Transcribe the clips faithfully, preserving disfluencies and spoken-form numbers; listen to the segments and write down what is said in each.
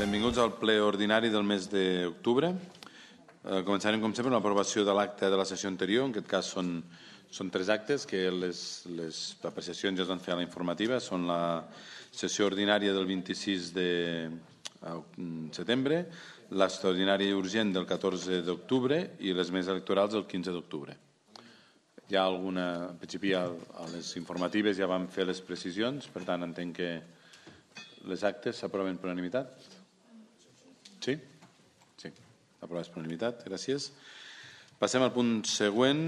Benvinguts al ple ordinari del mes d'octubre. Eh, començarem, com sempre, amb l'aprovació de l'acte de la sessió anterior. En aquest cas són, són tres actes que les, les apreciacions ja es van fer a la informativa. Són la sessió ordinària del vint-i-sis de setembre, l'extraordinària i urgent del catorze d'octubre i les més electorals del quinze d'octubre. Hi ha alguna... En principi, a les informatives ja vam fer les precisions, per tant, entenc que les actes s'aproven per unanimitat. Sí? Sí, aprovades per unanimitat, gràcies. Passem al punt següent,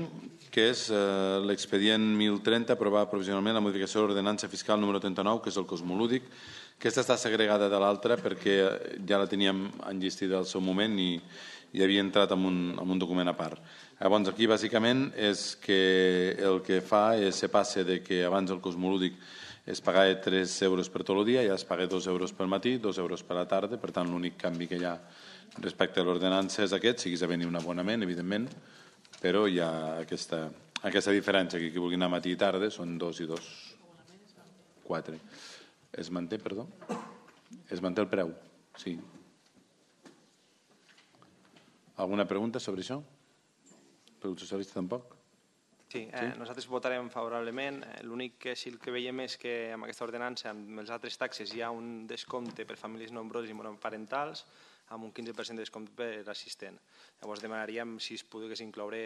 que és eh, l'expedient mil trenta, aprovar provisionalment la modificació de l'ordenança fiscal número trenta-nou, que és el cosmolúdic. Aquesta està segregada de l'altra perquè ja la teníem enllestida al seu moment i, i havia entrat en un, en un document a part. Llavors, aquí, bàsicament, és que el que fa és se passe de que abans el cosmolúdic es pagava tres euros per tot el dia, ja es paga dos euros pel matí, dos euros per la tarda, per tant, l'únic canvi que hi ha respecte a l'ordenança és aquest, si quis venir un abonament, evidentment, però hi ha aquesta, aquesta diferència, que qui vulgui anar matí i tarda són dos i dos, quatre. Es manté, perdó? Es manté el preu, sí. Alguna pregunta sobre això? Per al socialista tampoc? Sí, eh, sí, nosaltres votarem favorablement. L'únic que sí que veiem és que amb aquesta ordenança, amb els altres taxes, hi ha un descompte per famílies nombroses i monoparentals, amb un quinze per cent de descompte per assistent. Llavors demanaríem si es pogués incloure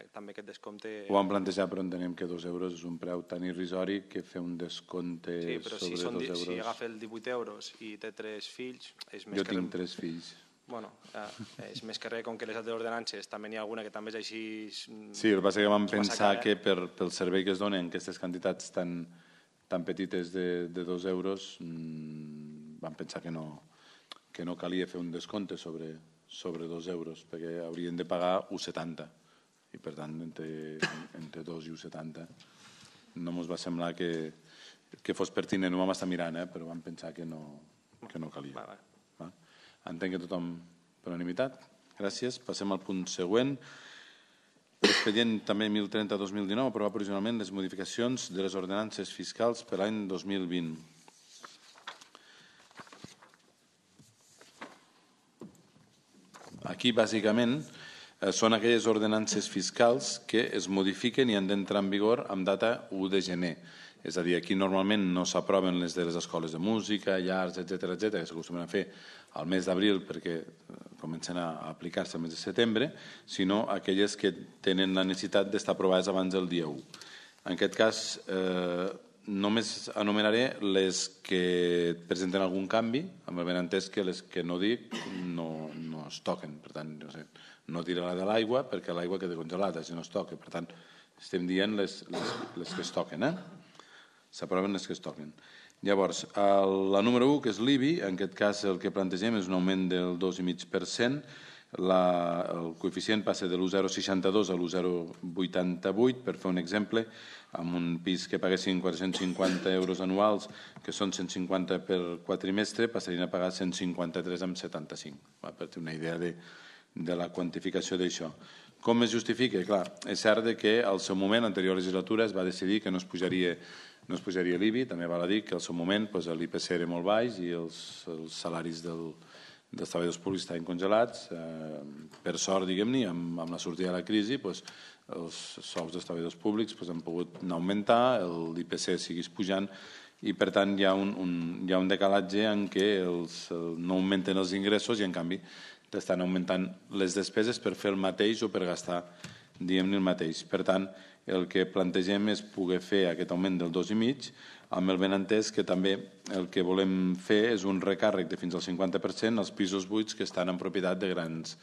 també aquest descompte. Ho vam plantejar, però entenem que dos euros és un preu tan irrisori que fer un descompte sí, però sobre si són, dos euros... Si agafa el divuit euros i té tres fills... És més jo que tinc re... tres fills. Bueno, eh, és més que res, com que les altres ordenances també n'hi ha alguna que també és així... Sí, el que passa que vam pensar que per, pel servei que es donen aquestes quantitats tan, tan petites de, de dos euros mmm, vam pensar que no, que no calia fer un descompte sobre, sobre dos euros perquè haurien de pagar un coma setanta i per tant entre, entre dos i un coma setanta no ens va semblar que, que fos pertinent, ho vam estar mirant, eh, però vam pensar que no, que no calia. Va, va. Va? Entenc que tothom per unanimitat. Gràcies. Passem al punt següent. L'expedient també mil trenta dos mil dinou, aprovar provisionalment les modificacions de les ordenances fiscals per l'any dos mil vint. Aquí, bàsicament, són aquelles ordenances fiscals que es modifiquen i han d'entrar en vigor amb data u de gener. És a dir, aquí normalment no s'aproven les de les escoles de música, llars, etcètera, etcètera, que s'acostumen a fer al mes d'abril perquè comencen a aplicar-se al mes de setembre, sinó aquelles que tenen la necessitat d'estar aprovades abans del dia u. En aquest cas, eh, només anomenaré les que presenten algun canvi, amb el benentès que les que no dic no, no es toquen. Per tant, no, sé, no tirarà de l'aigua perquè l'aigua queda congelada si no es toca. Per tant, estem dient les, les, les que es toquen, eh? S'aproven les que es toquen. Llavors, el, la número u, que és l'I B I, en aquest cas el que plantegem és un augment del dos coma cinc per cent, la, el coeficient passa de l'u coma zero seixanta dos a l'u coma zero vuitanta vuit, per fer un exemple, amb un pis que paguessin quatre-cents cinquanta euros anuals, que són cent cinquanta per quadrimestre, passarien a pagar cent cinquanta-tres coma setanta-cinc, va, per tenir una idea de, de la quantificació d'això. Com es justifica? Clar, és cert que al seu moment, a l'anterior legislatura, es va decidir que no es pujaria no es pujaria l'I B I, també val a dir que al seu moment l'I P C era molt baix i els, els salaris del, dels treballadors públics estaven congelats. Eh, per sort, diguem-ne, amb, amb la sortida de la crisi, doncs, els sous dels treballadors públics doncs, han pogut anar augmentar, l'I P C seguís pujant i, per tant, hi ha un, un, hi ha un decalatge en què els, no augmenten els ingressos i, en canvi, estan augmentant les despeses per fer el mateix o per gastar, diguem-ne, el mateix. Per tant, el que plantegem és poder fer aquest augment del dos i mig, amb el benentès que també el que volem fer és un recàrrec de fins al cinquanta per cent als pisos buits que estan en propietat de grans,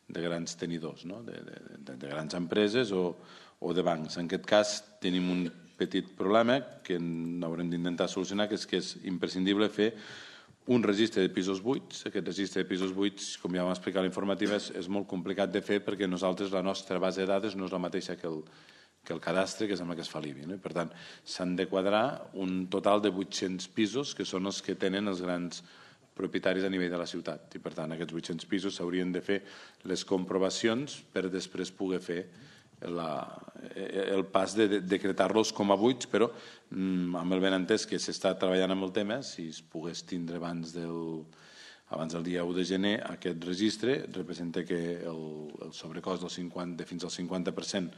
de grans tenidors, no? de, de, de grans empreses o, o de bancs. En aquest cas tenim un petit problema que haurem d'intentar solucionar, que és que és imprescindible fer un registre de pisos buits. Aquest registre de pisos buits, com ja vam explicar a l'informativa, és, és molt complicat de fer perquè nosaltres, la nostra base de dades no és la mateixa que el, que el cadastre, que és amb el que es fa l'I B I. No? Per tant, s'han de quadrar un total de vuit-cents pisos, que són els que tenen els grans propietaris a nivell de la ciutat. I, per tant, aquests vuit-cents pisos s'haurien de fer les comprovacions per després poder fer la, el pas de decretar-los com a buits, però amb el benentès que s'està treballant amb el tema, si es pogués tindre abans del abans del dia u de gener, aquest registre representa que el, el sobrecost del cinquanta, fins al cinquanta per cent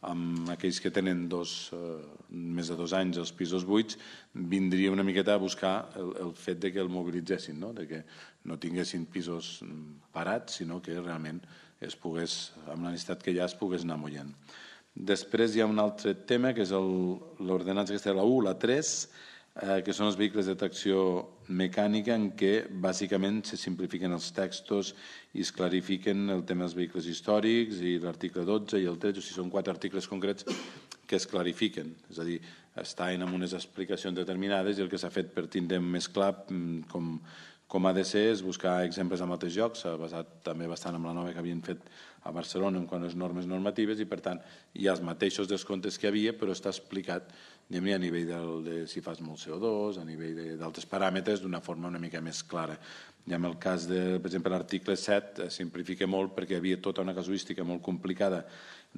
amb aquells que tenen dos, eh, més de dos anys els pisos buits, vindria una miqueta a buscar el, el fet de que el mobilitzessin, no? De que no tinguessin pisos parats, sinó que realment es pogués, amb la necessitat que hi ha, es pogués anar mullant. Després hi ha un altre tema, que és l'ordenança aquesta de la u, la tres, eh, que són els vehicles de tracció mecànica, en què bàsicament se simplifiquen els textos i es clarifiquen el tema dels vehicles històrics i l'article dotze i el tretze, o sigui, són quatre articles concrets que es clarifiquen, és a dir, estan amb unes explicacions determinades i el que s'ha fet per tindre més clar com, com ha de ser és buscar exemples amb altres jocs, s'ha basat també bastant en la nova que havien fet a Barcelona en quant a les normes normatives i, per tant, hi ha els mateixos descomptes que hi havia, però està explicat a nivell del, de si fas molt C O dos, a nivell d'altres paràmetres, d'una forma una mica més clara. I en el cas de, per exemple, l'article set simplifica molt perquè hi havia tota una casuística molt complicada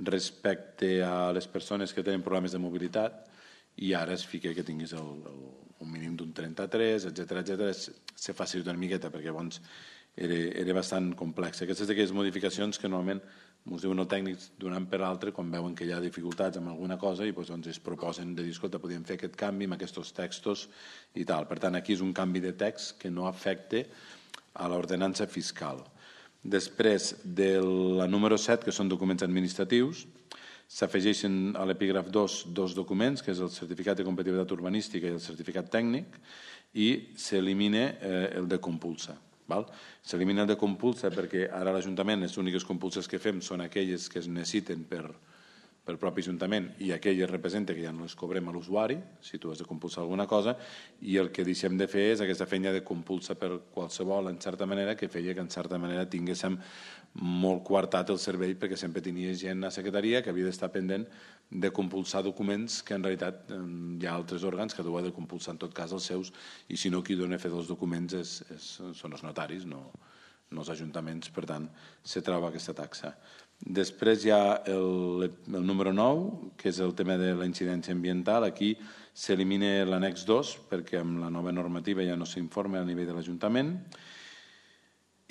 respecte a les persones que tenen problemes de mobilitat i ara es fica que tinguis el, el, un mínim d'un trenta-tres, etcètera, etcètera. Se facilita una miqueta perquè abans era, era bastant complex. Aquestes d'aquelles modificacions que normalment ens diuen els tècnics d'un any per l'altre quan veuen que hi ha dificultats amb alguna cosa i doncs es proposen de dir, escolta, podríem fer aquest canvi amb aquests textos i tal. Per tant, aquí és un canvi de text que no afecta a l'ordenança fiscal. Després de la número set, que són documents administratius, s'afegeixen a l'epígraf dos dos documents, que és el certificat de competitivitat urbanística i el certificat tècnic, i s'elimina eh, el de compulsa. S'elimina el de compulsa perquè ara l'Ajuntament, les úniques compulses que fem són aquelles que es necessiten per pel propi Ajuntament i aquelles representa que ja no les cobrem a l'usuari, si tu has de compulsar alguna cosa, i el que deixem de fer és aquesta feina de compulsa per qualsevol, en certa manera, que feia que en certa manera tinguéssim molt coartat el servei perquè sempre tenia gent a secretaria que havia d'estar pendent de compulsar documents que en realitat hi ha altres òrgans que tu has de compulsar en tot cas els seus i si no qui dona a fer dels documents és, és, són els notaris, no, no els ajuntaments, per tant se troba aquesta taxa. Després hi ha el, el número nou, que és el tema de la incidència ambiental. Aquí s'elimina l'annex dos perquè amb la nova normativa ja no s'informa a nivell de l'Ajuntament.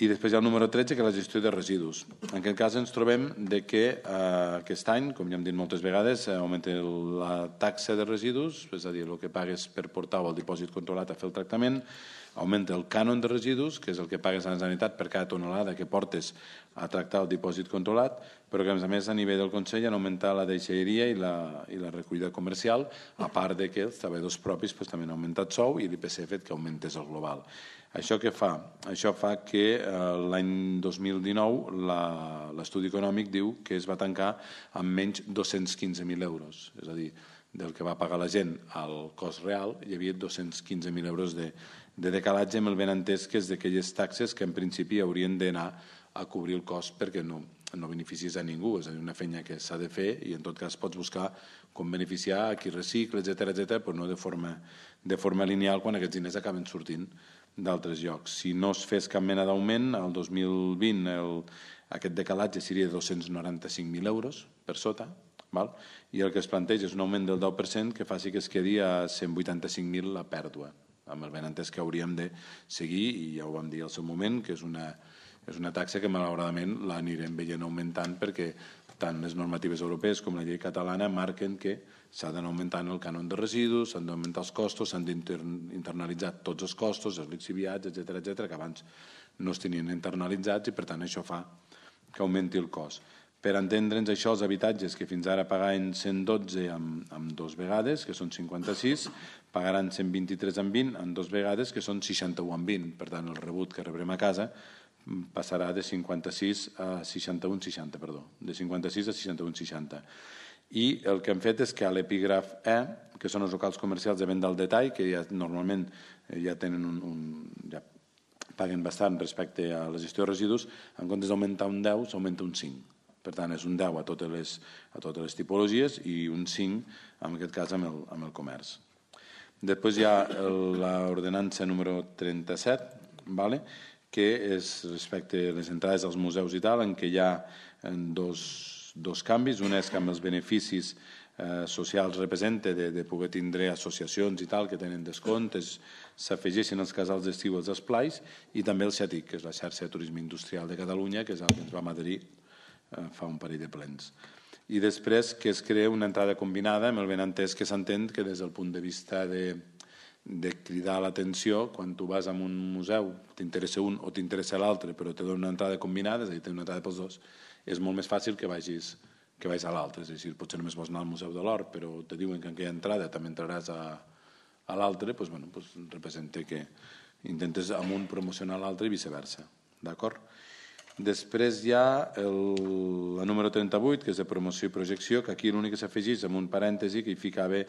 I després hi ha el número tretze, que és la gestió de residus. En aquest cas ens trobem de que eh, aquest any, com ja hem dit moltes vegades, augmenta la taxa de residus, és a dir, el que pagues per portar o el dipòsit controlat a fer el tractament, augmenta el cànon de residus, que és el que pagues a la Generalitat per cada tonelada que portes a tractar el dipòsit controlat, però que a més a nivell del Consell han augmentat la deixalleria i la, i la recollida comercial, a part de que els treballadors propis pues, també han augmentat sou i l'I P C ha fet que augmentés el global. Això què fa? Això fa que eh, l'any dos mil dinou l'estudi econòmic diu que es va tancar amb menys dos-cents quinze mil euros, és a dir, del que va pagar la gent al cost real hi havia dos-cents quinze mil euros de, de decalatge amb el benentès que és d'aquelles taxes que en principi haurien d'anar a cobrir el cost perquè no, no beneficis a ningú, és a dir, una feina que s'ha de fer i en tot cas pots buscar com beneficiar a qui recicla, etcètera, etcètera, però no de forma, de forma lineal quan aquests diners acaben sortint d'altres llocs. Si no es fes cap mena d'augment, el dos mil vint el, aquest decalatge seria de dos-cents noranta-cinc mil euros per sota, val? I el que es planteja és un augment del deu per cent que faci que es quedi a cent vuitanta-cinc mil la pèrdua, amb el benentès que hauríem de seguir, i ja ho vam dir al seu moment, que és una, és una taxa que malauradament l'anirem veient augmentant perquè tant les normatives europees com la llei catalana marquen que s'ha d'anar augmentant el cànon de residus, s'han d'augmentar els costos, s'han d'internalitzar tots els costos, els lixiviats, etcètera, etcètera, que abans no es tenien internalitzats i per tant això fa que augmenti el cost. Per entendre'ns això, els habitatges que fins ara pagaven cent dotze amb, amb dos vegades, que són cinquanta-sis, pagaran cent vint-i-tres amb vint amb dos vegades, que són seixanta-u amb vint. Per tant, el rebut que rebrem a casa passarà de cinquanta-sis a seixanta-u seixanta, perdó, de cinquanta-sis a seixanta-u seixanta. I el que hem fet és que a l'epígraf E, que són els locals comercials de venda al detall, que ja normalment ja tenen un, un ja paguen bastant respecte a la gestió de residus, en comptes d'augmentar un deu, s'augmenta un cinc. Per tant, és un deu a totes les, a totes les tipologies i un cinc, en aquest cas, amb el, amb el comerç. Després hi ha l'ordenança número trenta-set, vale? Que és respecte a les entrades als museus i tal, en què hi ha dos, dos canvis. Un és que amb els beneficis socials representa, de poder tindre associacions i tal que tenen descomptes, s'afegeixen els casals d'estiu als esplais, i també el XETIC, que és la xarxa de turisme industrial de Catalunya, que és el que ens vam adherir fa un parell de plens. I després que es crea una entrada combinada, amb el benentès que s'entén que des del punt de vista de, de cridar l'atenció, quan tu vas a un museu, t'interessa un o t'interessa l'altre, però te dona una entrada combinada, és a dir, té una entrada pels dos, és molt més fàcil que vagis, que vagis a l'altre. És a dir, potser només vols anar al Museu de l'Or, però te diuen que en aquella entrada també entraràs a, a l'altre, doncs, bueno, doncs representa que intentes amb un promocionar l'altre i viceversa. D'acord? Després hi ha el, la número trenta-vuit, que és de promoció i projecció, que aquí l'únic que s'afegeix amb un parèntesi que hi ficava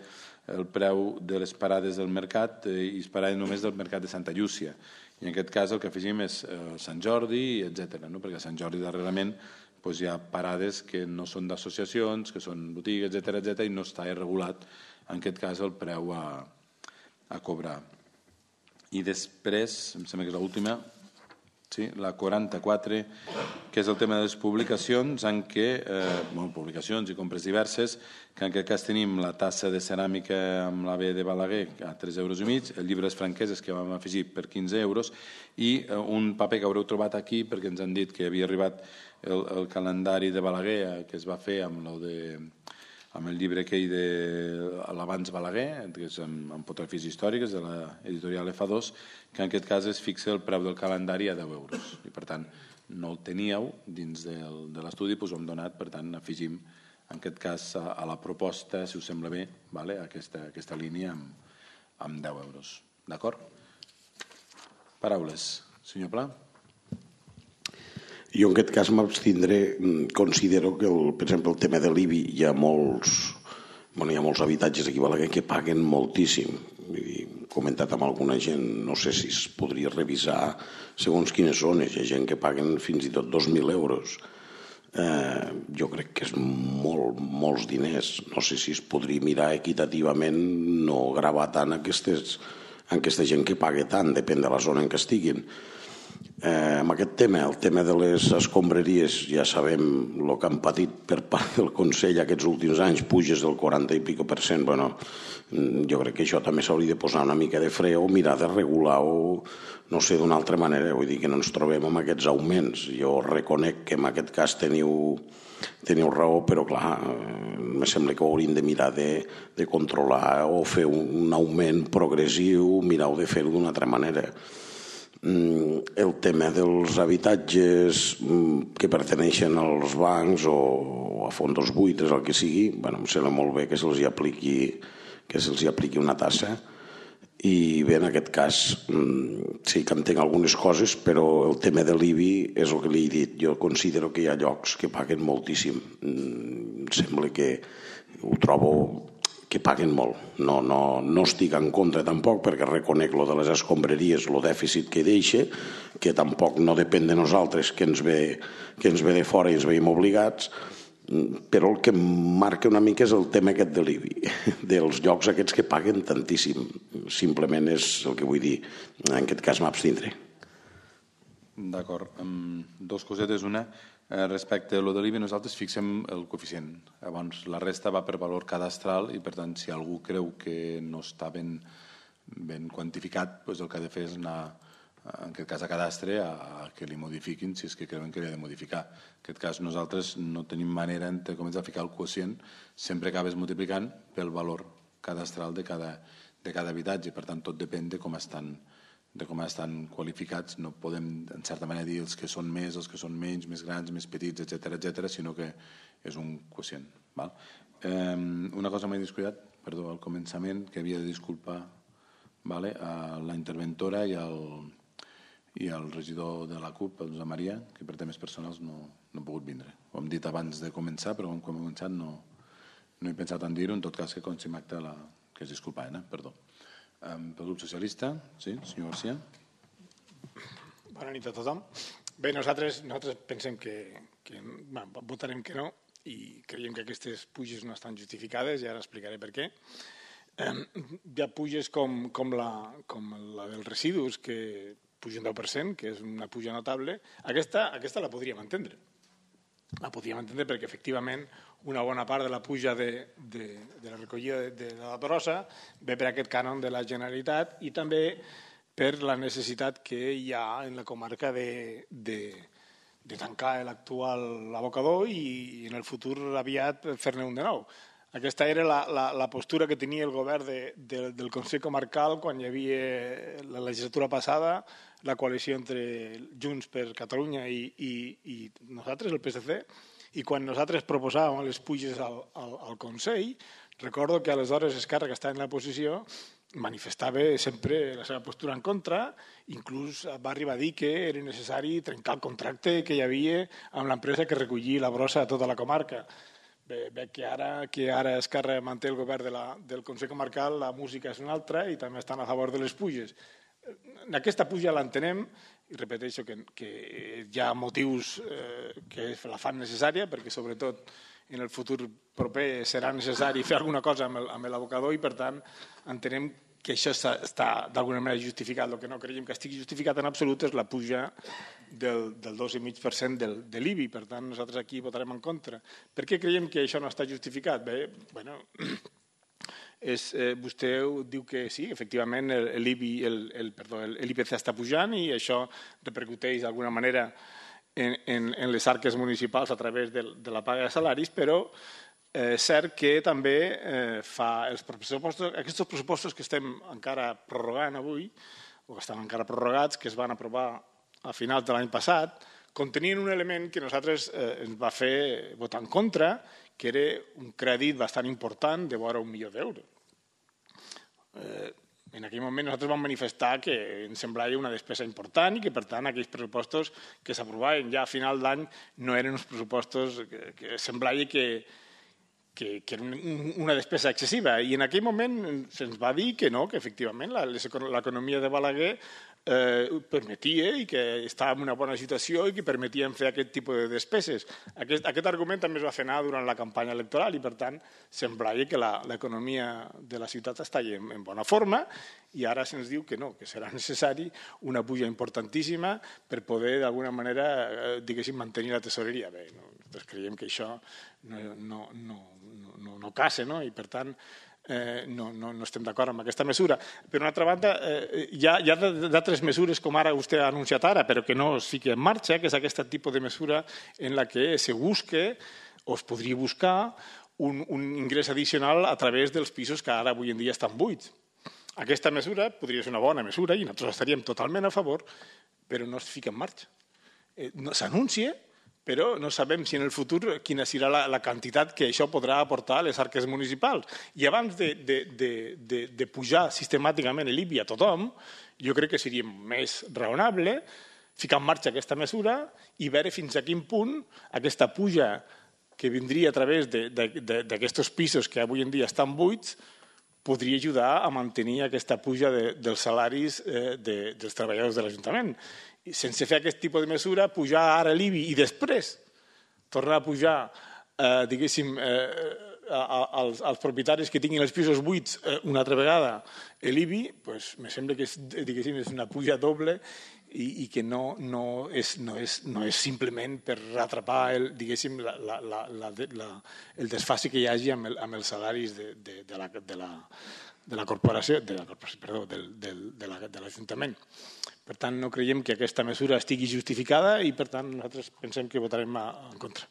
el preu de les parades del mercat i es parava només del mercat de Santa Llúcia. I en aquest cas el que afegim és eh, Sant Jordi, etcètera, no? Perquè a Sant Jordi darrerament doncs, hi ha parades que no són d'associacions, que són botigues, etcètera, etcètera, i no està regulat, en aquest cas, el preu a, a cobrar. I després, em sembla que és l'última, sí, la quaranta-quatre, que és el tema de les publicacions, en què, eh, bueno, publicacions i compres diverses, que en aquest cas tenim la tassa de ceràmica amb la B de Balaguer a tres euros i mig, el llibre de franqueses que vam afegir per quinze euros i eh, un paper que haureu trobat aquí perquè ens han dit que havia arribat el, el calendari de Balaguer eh, que es va fer amb el de amb el llibre aquell de l'Abans Balaguer, que és amb, amb fotografies històriques de l'editorial F dos, que en aquest cas es fixa el preu del calendari a deu euros. I per tant, no el teníeu dins del, de l'estudi, doncs ho hem donat, per tant, afegim en aquest cas a, a la proposta, si us sembla bé, vale? aquesta, aquesta línia amb, amb deu euros. D'acord? Paraules. Senyor Pla? Jo en aquest cas m'abstindré, considero que el, per exemple el tema de l'I B I hi ha molts, bueno, hi ha molts habitatges aquí a Balaguer que paguen moltíssim. He comentat amb alguna gent, no sé si es podria revisar segons quines zones, hi ha gent que paguen fins i tot dos mil euros. Eh, jo crec que és molt, molts diners. No sé si es podria mirar equitativament, no gravar tant aquestes, aquesta gent que paga tant, depèn de la zona en què estiguin. Eh, amb aquest tema, el tema de les escombraries, ja sabem el que han patit per part del Consell aquests últims anys, puges del quaranta i pico per cent. Bueno, jo crec que això també s'hauria de posar una mica de fre o mirar de regular o no sé, d'una altra manera. Vull dir que no ens trobem amb aquests augments. Jo reconec que en aquest cas teniu, teniu raó, però clar, em sembla que ho hauríem de mirar de, de controlar o fer un augment progressiu, mirar-ho de fer-ho d'una altra manera. El tema dels habitatges que perteneixen als bancs o a fons buitres, el que sigui, bueno, em sembla molt bé que se'ls apliqui, que se'ls apliqui una tassa. I bé, en aquest cas sí que entenc algunes coses, però el tema de l'I B I és el que li he dit. Jo considero que hi ha llocs que paguen moltíssim. Em sembla que ho trobo que paguen molt. No, no, no estic en contra tampoc, perquè reconec lo de les escombraries, el dèficit que deixa, que tampoc no depèn de nosaltres, que ens ve, que ens ve de fora i ens veiem obligats, però el que marca una mica és el tema aquest de l'I B I, dels llocs aquests que paguen tantíssim. Simplement és el que vull dir. En aquest cas m'abstindré. D'acord. Um, dos cosetes. Una, eh, respecte a lo de l'I B I, nosaltres fixem el coeficient. Llavors, la resta va per valor cadastral i, per tant, si algú creu que no està ben, ben quantificat, doncs el que ha de fer és anar, en aquest cas a cadastre, a, a que li modifiquin si és que creuen que li ha de modificar. En aquest cas, nosaltres no tenim manera de començar a ficar el quocient, sempre acabes multiplicant pel valor cadastral de cada, de cada habitatge. Per tant, tot depèn de com estan de com estan qualificats. No podem, en certa manera, dir els que són més, els que són menys, més grans, més petits, etcètera, etcètera, sinó que és un quocient. Val? Eh, una cosa m'he descuidat, perdó, al començament, que havia de disculpar, vale, a la interventora i al, i al regidor de la CUP, el Josep Maria, que per temes personals no, no ha pogut vindre. Ho hem dit abans de començar, però quan hem començat no, no he pensat en dir-ho, en tot cas que consti en acte la, que es disculpaven, eh? Perdó. Um, pel grup socialista, sí, senyor García. Bona nit a tothom. Bé, nosaltres, nosaltres pensem que, que bueno, votarem que no i creiem que aquestes puges no estan justificades i ara explicaré per què. Eh, hi ha puges com, com, la, com la dels residus, que puja un deu per cent, que és una puja notable. Aquesta, aquesta la podríem entendre. la podíem entendre perquè efectivament una bona part de la puja de, de, de la recollida de, de la brossa ve per aquest cànon de la Generalitat i també per la necessitat que hi ha en la comarca de, de, de tancar l'actual abocador i en el futur aviat fer-ne un de nou. Aquesta era la, la, la postura que tenia el govern de, de, del Consell Comarcal quan hi havia la legislatura passada, la coalició entre Junts per Catalunya i, i, i nosaltres, el P S C, i quan nosaltres proposàvem les puges al, al, al Consell, recordo que aleshores Esquerra, que estava en la posició, manifestava sempre la seva postura en contra, inclús va arribar a dir que era necessari trencar el contracte que hi havia amb l'empresa que recollia la brossa a tota la comarca. Bé, bé que ara que ara Esquerra manté el govern de la, del Consell Comarcal, la música és una altra i també estan a favor de les puges. Aquesta puja l'entenem i repeteixo que, que hi ha motius eh, que la fan necessària perquè sobretot en el futur proper serà necessari fer alguna cosa amb l'abocador i per tant entenem que això està, està d'alguna manera justificat. El que no creiem que estigui justificat en absolut és la puja del, del dos coma cinc per cent del, de l'I B I. Per tant, nosaltres aquí votarem en contra. Per què creiem que això no està justificat? Bé, bueno, és, eh, vostè diu que sí, efectivament l'I B I, el, el, perdó, l'I P C està pujant i això repercuteix d'alguna manera en, en, en les arques municipals a través de, de la paga de salaris, però és eh, cert que també eh, fa els pressupostos, aquests pressupostos que estem encara prorrogant avui, o que estan encara prorrogats, que es van aprovar a finals de l'any passat, contenien un element que nosaltres eh, ens va fer votar en contra, que era un crèdit bastant important de vora un milió d'euros. Eh, en aquell moment nosaltres vam manifestar que ens semblava una despesa important i que, per tant, aquells pressupostos que s'aprovaven ja a final d'any no eren uns pressupostos que, que semblava que que, que era una despesa excessiva. I en aquell moment se'ns va dir que no, que efectivament l'economia de Balaguer eh, permetia i que estava en una bona situació i que permetien fer aquest tipus de despeses. Aquest, aquest argument també es va fer anar durant la campanya electoral i, per tant, semblava que l'economia de la ciutat està en, en bona forma i ara se'ns diu que no, que serà necessari una puja importantíssima per poder, d'alguna manera, eh, diguéssim, mantenir la tesoreria. Bé, no, nosaltres creiem que això no, no, no, no, no casa, no? I per tant eh, no, no, no estem d'acord amb aquesta mesura. Per una altra banda, eh, hi ha, hi ha d'altres mesures, com ara vostè ha anunciat ara, però que no es fiqui en marxa, que és aquest tipus de mesura en la que se busque o es podria buscar un, un ingrés addicional a través dels pisos que ara avui en dia estan buits. Aquesta mesura podria ser una bona mesura i nosaltres estaríem totalment a favor, però no es fica en marxa. Eh, no, s'anuncia, però no sabem si en el futur quina serà la, la quantitat que això podrà aportar a les arques municipals. I abans de, de, de, de, de pujar sistemàticament l'I B I a tothom, jo crec que seria més raonable ficar en marxa aquesta mesura i veure fins a quin punt aquesta puja que vindria a través d'aquests pisos que avui en dia estan buits podria ajudar a mantenir aquesta puja de, dels salaris eh, de, dels treballadors de l'Ajuntament. Sense fer aquest tipus de mesura, pujar ara l'I B I i després tornar a pujar, eh, diguéssim, eh, als, als propietaris que tinguin els pisos buits eh, una altra vegada l'I B I, pues, me sembla que és, diguéssim, és una puja doble i, i que no, no, és, no, és, no és simplement per atrapar el, diguéssim, la, la, la, la, la, el desfase que hi hagi amb, el, amb els salaris de, de, de la... De la de la corporació, de la corporació, perdó, del, del, de l'Ajuntament. Per tant, no creiem que aquesta mesura estigui justificada i, per tant, nosaltres pensem que votarem en contra.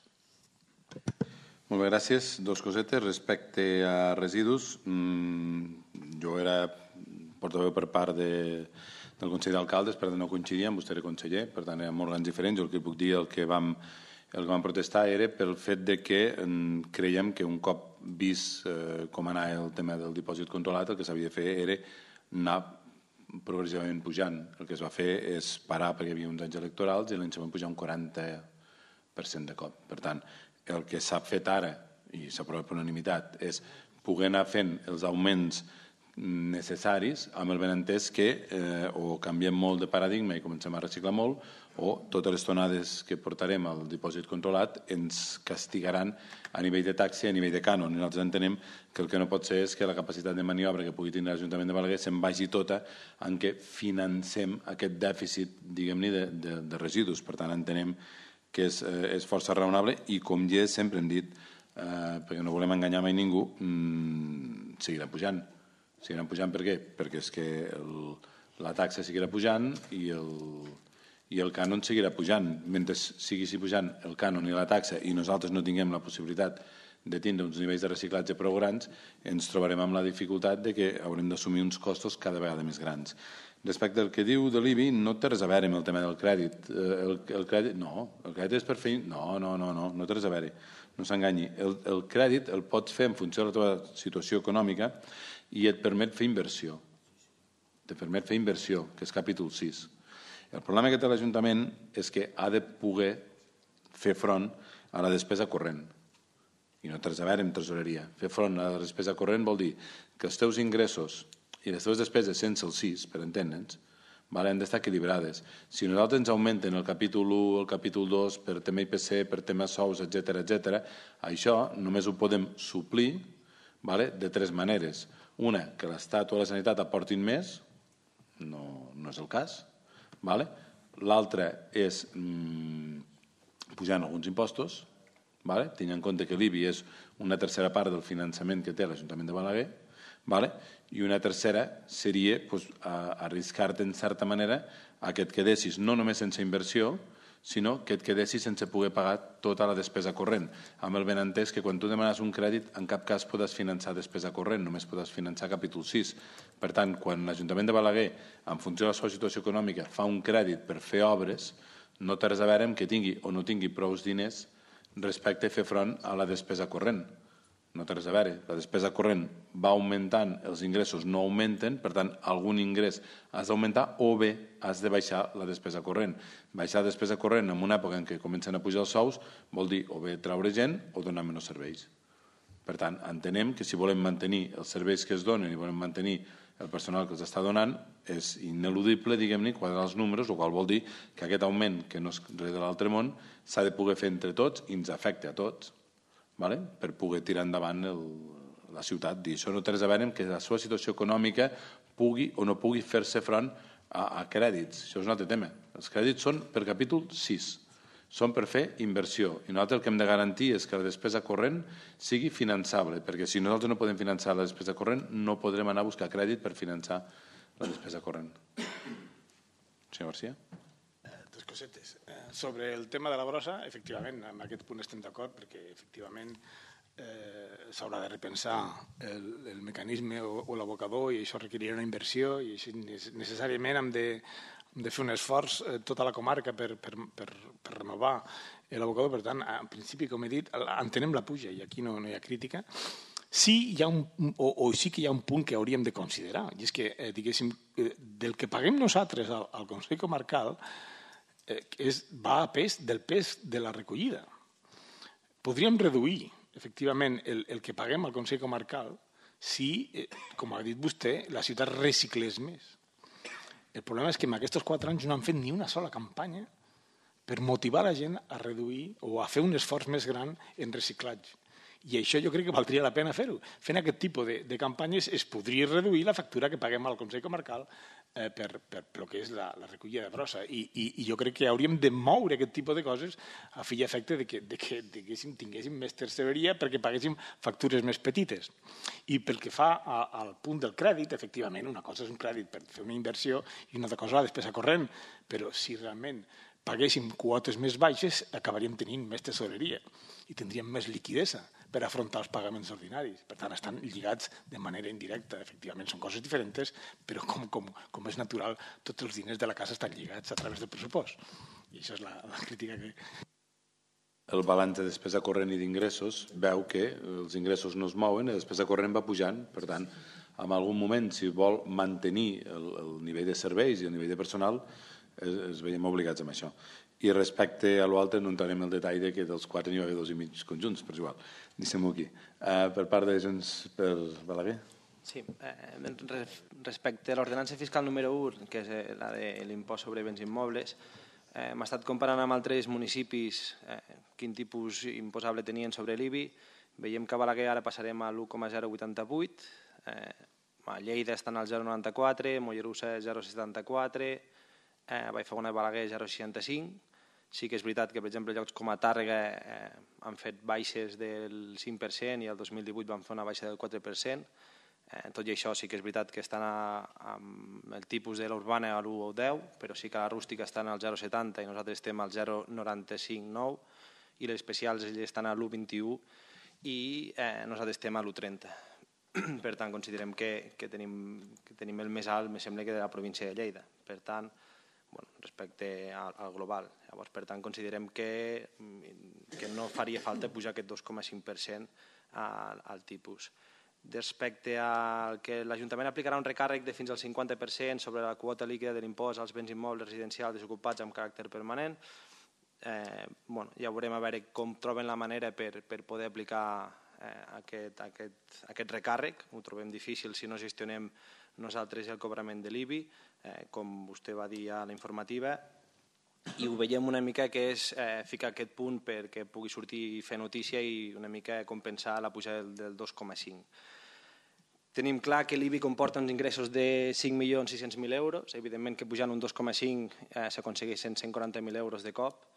Molt bé, gràcies. Dos cosetes. Respecte a residus, mmm, jo era portaveu per part de, del Consell d'Alcaldes, per tant no coincidia, vostè era conseller, per tant eren òrgans diferents. Jo el que puc dir, el que vam El que vam protestar era pel fet de que creiem que un cop vist eh, com anava el tema del dipòsit controlat, el que s'havia de fer era anar progressivament pujant. El que es va fer és parar perquè hi havia uns anys electorals i l'any següent pujar un quaranta per cent de cop. Per tant, el que s'ha fet ara, i s'aprova per unanimitat, és poder anar fent els augments necessaris amb el benentès que eh, o canviem molt de paradigma i comencem a reciclar molt o totes les tonades que portarem al dipòsit controlat ens castigaran a nivell de taxa i a nivell de cànon. I nosaltres entenem que el que no pot ser és que la capacitat de maniobra que pugui tenir l'Ajuntament de Balaguer se'n vagi tota en què financem aquest dèficit, diguem-ne, de, de, de residus. Per tant, entenem que és, eh, és força raonable i, com ja sempre hem dit, eh, perquè no volem enganyar mai ningú, mmm, seguirà pujant. Seguirà pujant per què? Perquè és que el, la taxa seguirà pujant i el, i el cànon seguirà pujant. Mentre seguissi pujant el cànon i la taxa i nosaltres no tinguem la possibilitat de tindre uns nivells de reciclatge prou grans, ens trobarem amb la dificultat de que haurem d'assumir uns costos cada vegada més grans. Respecte al que diu de l'I B I, no té res a veure amb el tema del crèdit. El, el crèdit, no, el crèdit és per fer... No, no, no, no, no té res a veure. No s'enganyi. El, el crèdit el pots fer en funció de la teva situació econòmica i et permet fer inversió. Te permet fer inversió, que és capítol sis. El problema que té l'Ajuntament és que ha de poder fer front a la despesa corrent. I no té res a veure amb tresoreria. Fer front a la despesa corrent vol dir que els teus ingressos i les teves despeses sense el sis, per entendre'ns, han d'estar equilibrades. Si nosaltres ens augmenten el capítol u, el capítol dos, per tema I P C, per tema sous, etcètera, etcètera, això només ho podem suplir de tres maneres. Una, que l'Estat o la Sanitat aportin més, no, no és el cas. L'altra és mmm, pujant alguns impostos, tenint en compte que l'I B I és una tercera part del finançament que té l'Ajuntament de Balaguer, Vale? I una tercera seria pues, arriscar-te en certa manera a que et quedessis no només sense inversió, sinó que et quedessis sense poder pagar tota la despesa corrent. Amb el benentès que quan tu demanes un crèdit en cap cas podràs finançar despesa corrent, només podràs finançar capítol sis. Per tant, quan l'Ajuntament de Balaguer, en funció de la seva situació econòmica, fa un crèdit per fer obres, no té res a veure amb que tingui o no tingui prou diners respecte a fer front a la despesa corrent. No té res a veure. La despesa corrent va augmentant, els ingressos no augmenten, per tant, algun ingrés has d'augmentar o bé has de baixar la despesa corrent. Baixar la despesa corrent en una època en què comencen a pujar els sous vol dir o bé treure gent o donar menys serveis. Per tant, entenem que si volem mantenir els serveis que es donen i volem mantenir el personal que els està donant, és ineludible, diguem-ne, quadrar els números, el qual vol dir que aquest augment, que no és res de l'altre món, s'ha de poder fer entre tots i ens afecta a tots. Vale? Per poder tirar endavant el, la ciutat. I això no té res a veure amb que la seva situació econòmica pugui o no pugui fer-se front a, a crèdits. Això és un altre tema. Els crèdits són per capítol sis. Són per fer inversió. I nosaltres el que hem de garantir és que la despesa corrent sigui finançable, perquè si nosaltres no podem finançar la despesa corrent, no podrem anar a buscar crèdit per finançar la despesa corrent. Senyor García? Tres cosetes. Sobre el tema de la brossa, efectivament, en aquest punt estem d'acord, perquè efectivament eh, s'haurà de repensar el, el mecanisme o, o l'abocador i això requerirà una inversió i així necessàriament hem de, hem de fer un esforç eh, tota la comarca per, per, per, per renovar l'abocador. Per tant, en principi, com he dit, entenem la puja i aquí no, no hi ha crítica. Sí, hi ha un, o, o sí que hi ha un punt que hauríem de considerar, i és que, eh, diguéssim, eh, del que paguem nosaltres al, al Consell Comarcal eh, és, va a pes del pes de la recollida. Podríem reduir, efectivament, el, el que paguem al Consell Comarcal si, eh, com ha dit vostè, la ciutat reciclés més. El problema és que en aquests quatre anys no han fet ni una sola campanya per motivar la gent a reduir o a fer un esforç més gran en reciclatge. I això jo crec que valdria la pena fer-ho. Fent aquest tipus de, de campanyes es podria reduir la factura que paguem al Consell Comarcal eh, per, per, per el que és la, la recollida de brossa. I, i, I jo crec que hauríem de moure aquest tipus de coses a fi i efecte de que, de que diguéssim, tinguéssim més terceria perquè paguéssim factures més petites. I pel que fa a, al punt del crèdit, efectivament, una cosa és un crèdit per fer una inversió i una altra cosa la despesa corrent, però si realment paguéssim quotes més baixes, acabaríem tenint més tesoreria i tindríem més liquidesa per afrontar els pagaments ordinaris. Per tant, estan lligats de manera indirecta. Efectivament, són coses diferents, però com, com, com és natural, tots els diners de la casa estan lligats a través del pressupost. I això és la, la crítica que... El balanç de despesa corrent i d'ingressos veu que els ingressos no es mouen i la despesa corrent va pujant. Per tant, en algun moment, si vol mantenir el, el nivell de serveis i el nivell de personal, es veiem obligats amb això. I respecte a l'altre no entrarem en el detall de que dels quatre n'hi va haver dos i mig conjunts, però és igual. Deixem-ho aquí. Uh, per part de Junts per Balaguer? Sí, eh, respecte a l'ordenança fiscal número u, que és la de l'impost sobre béns immobles, eh, hem estat comparant amb altres municipis eh, quin tipus imposable tenien sobre l'I B I. Veiem que a Balaguer ara passarem a l'u coma zero vuitanta vuit, eh, a Lleida estan al zero coma noranta-quatre, Mollerussa zero coma setanta-quatre, eh, Vallfogona i Balaguer zero coma seixanta-cinc. Sí que és veritat que, per exemple, llocs com a Tàrrega eh, han fet baixes del cinc per cent i el dos mil divuit van fer una baixa del quatre per cent. Eh, tot i això sí que és veritat que estan a, amb el tipus de l'urbana a l'u o deu, però sí que la rústica estan al zero coma setanta i nosaltres estem al zero coma noranta-cinc nou i les especials estan a l'u coma vint-i-u i eh, nosaltres estem a l'u coma trenta. Per tant, considerem que, que, tenim, que tenim el més alt, me sembla que de la província de Lleida. Per tant, bueno, respecte al, al global. Llavors, per tant, considerem que, que no faria falta pujar aquest dos coma cinc per cent al, al tipus. Respecte al que l'Ajuntament aplicarà un recàrrec de fins al cinquanta per cent sobre la quota líquida de l'impost als béns immobles residencials desocupats amb caràcter permanent, eh, bueno, ja veurem a veure com troben la manera per, per poder aplicar eh, aquest, aquest, aquest recàrrec. Ho trobem difícil si no gestionem nosaltres el cobrament de l'I B I, eh, com vostè va dir a la informativa, i ho veiem una mica que és eh, ficar aquest punt perquè pugui sortir i fer notícia i una mica compensar la pujada del, del dos coma cinc. Tenim clar que l'I B I comporta uns ingressos de cinc milions sis-cents mil euros, evidentment que pujant un dos coma cinc eh, s'aconsegueixen cent quaranta mil euros de cop.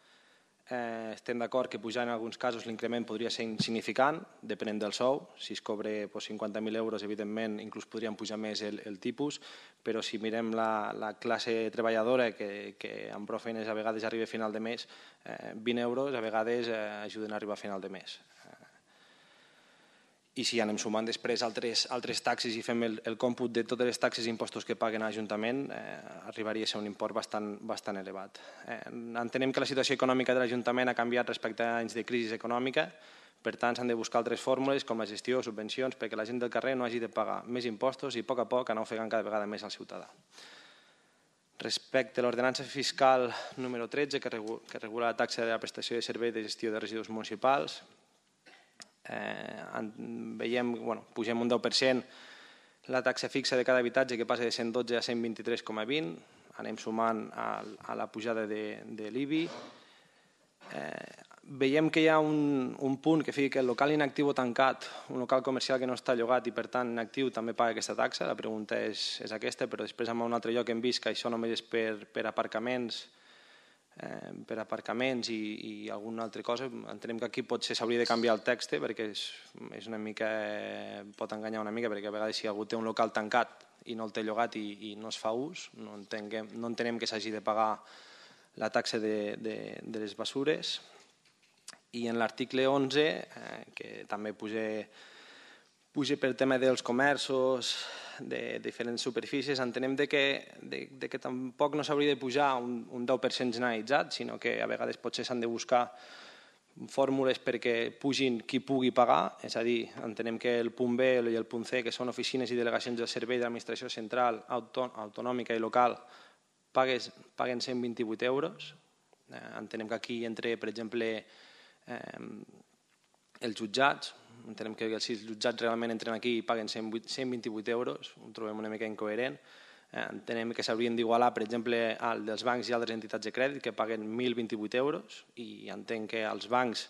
Eh, estem d'acord que pujar en alguns casos l'increment podria ser insignificant, depenent del sou. Si es cobre pues, cinquanta mil euros, evidentment, inclús podríem pujar més el, el tipus, però si mirem la, la classe treballadora, que, que amb prou feines a vegades arriba a final de mes, eh, vint euros a vegades eh, ajuden a arribar a final de mes. I si anem sumant després altres, altres taxes i fem el, el còmput de totes les taxes i impostos que paguen a l'Ajuntament, eh, arribaria a ser un import bastant, bastant elevat. Eh, entenem que la situació econòmica de l'Ajuntament ha canviat respecte a anys de crisi econòmica, per tant s'han de buscar altres fórmules com la gestió, subvencions, perquè la gent del carrer no hagi de pagar més impostos i a poc a poc anar ofegant cada vegada més al ciutadà. Respecte a l'ordenança fiscal número tretze, que regula la taxa de la prestació de servei de gestió de residus municipals, Eh, veiem, bueno, pugem un deu per cent la taxa fixa de cada habitatge que passa de cent dotze a cent vint-i-tres coma vint, anem sumant a, a la pujada de, de l'I B I. Eh, veiem que hi ha un, un punt que fica que el local inactiu o tancat, un local comercial que no està llogat i per tant inactiu també paga aquesta taxa. La pregunta és, és aquesta, però després en un altre lloc hem vist que això només és per, per aparcaments Eh, per aparcaments i, i alguna altra cosa. Entenem que aquí potser s'hauria de canviar el text perquè és, és una mica, pot enganyar una mica, perquè a vegades si algú té un local tancat i no el té llogat i, i no es fa ús, no entenem, no entenem que s'hagi de pagar la taxa de, de, de les basures. I en l'article onze, eh, que també puja, puja per tema dels comerços, de diferents superfícies, entenem de que, de, de que tampoc no s'hauria de pujar un, un deu per cent generalitzat, sinó que a vegades potser s'han de buscar fórmules perquè pugin qui pugui pagar, és a dir, entenem que el punt B i el punt C, que són oficines i delegacions del servei de l'administració central, autonòmica i local, pagues, paguen cent vint-i-vuit euros. Eh, entenem que aquí entre, per exemple, eh, els jutjats, entenem que si els jutjats realment entren aquí i paguen cent vint-i-vuit euros, ho trobem una mica incoherent. Eh, entenem que s'haurien d'igualar, per exemple, al dels bancs i altres entitats de crèdit que paguen mil vint-i-vuit euros i entenc que als bancs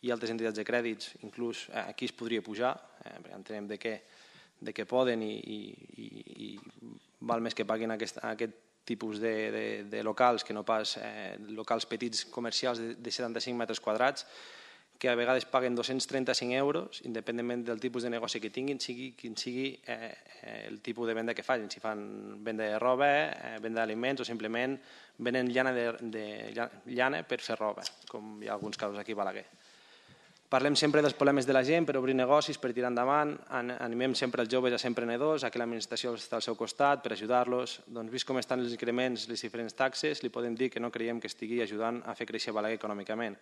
i altres entitats de crèdits inclús eh, aquí es podria pujar, eh, perquè entenem de que, de que poden i, i, i, i val més que paguin aquest, aquest tipus de, de, de locals que no pas eh, locals petits comercials de, de setanta-cinc metres quadrats, que a vegades paguen dos-cents trenta-cinc euros, independentment del tipus de negoci que tinguin, sigui quin sigui eh, el tipus de venda que facin, si fan venda de roba, eh, venda d'aliments o simplement venen llana, de, de, llana per fer roba, com hi ha alguns casos aquí a Balaguer. Parlem sempre dels problemes de la gent per obrir negocis, per tirar endavant, animem sempre els joves a ser emprenedors, a que l'administració està al seu costat per ajudar-los. Doncs vist com estan els increments, les diferents taxes, li podem dir que no creiem que estigui ajudant a fer créixer Balaguer econòmicament.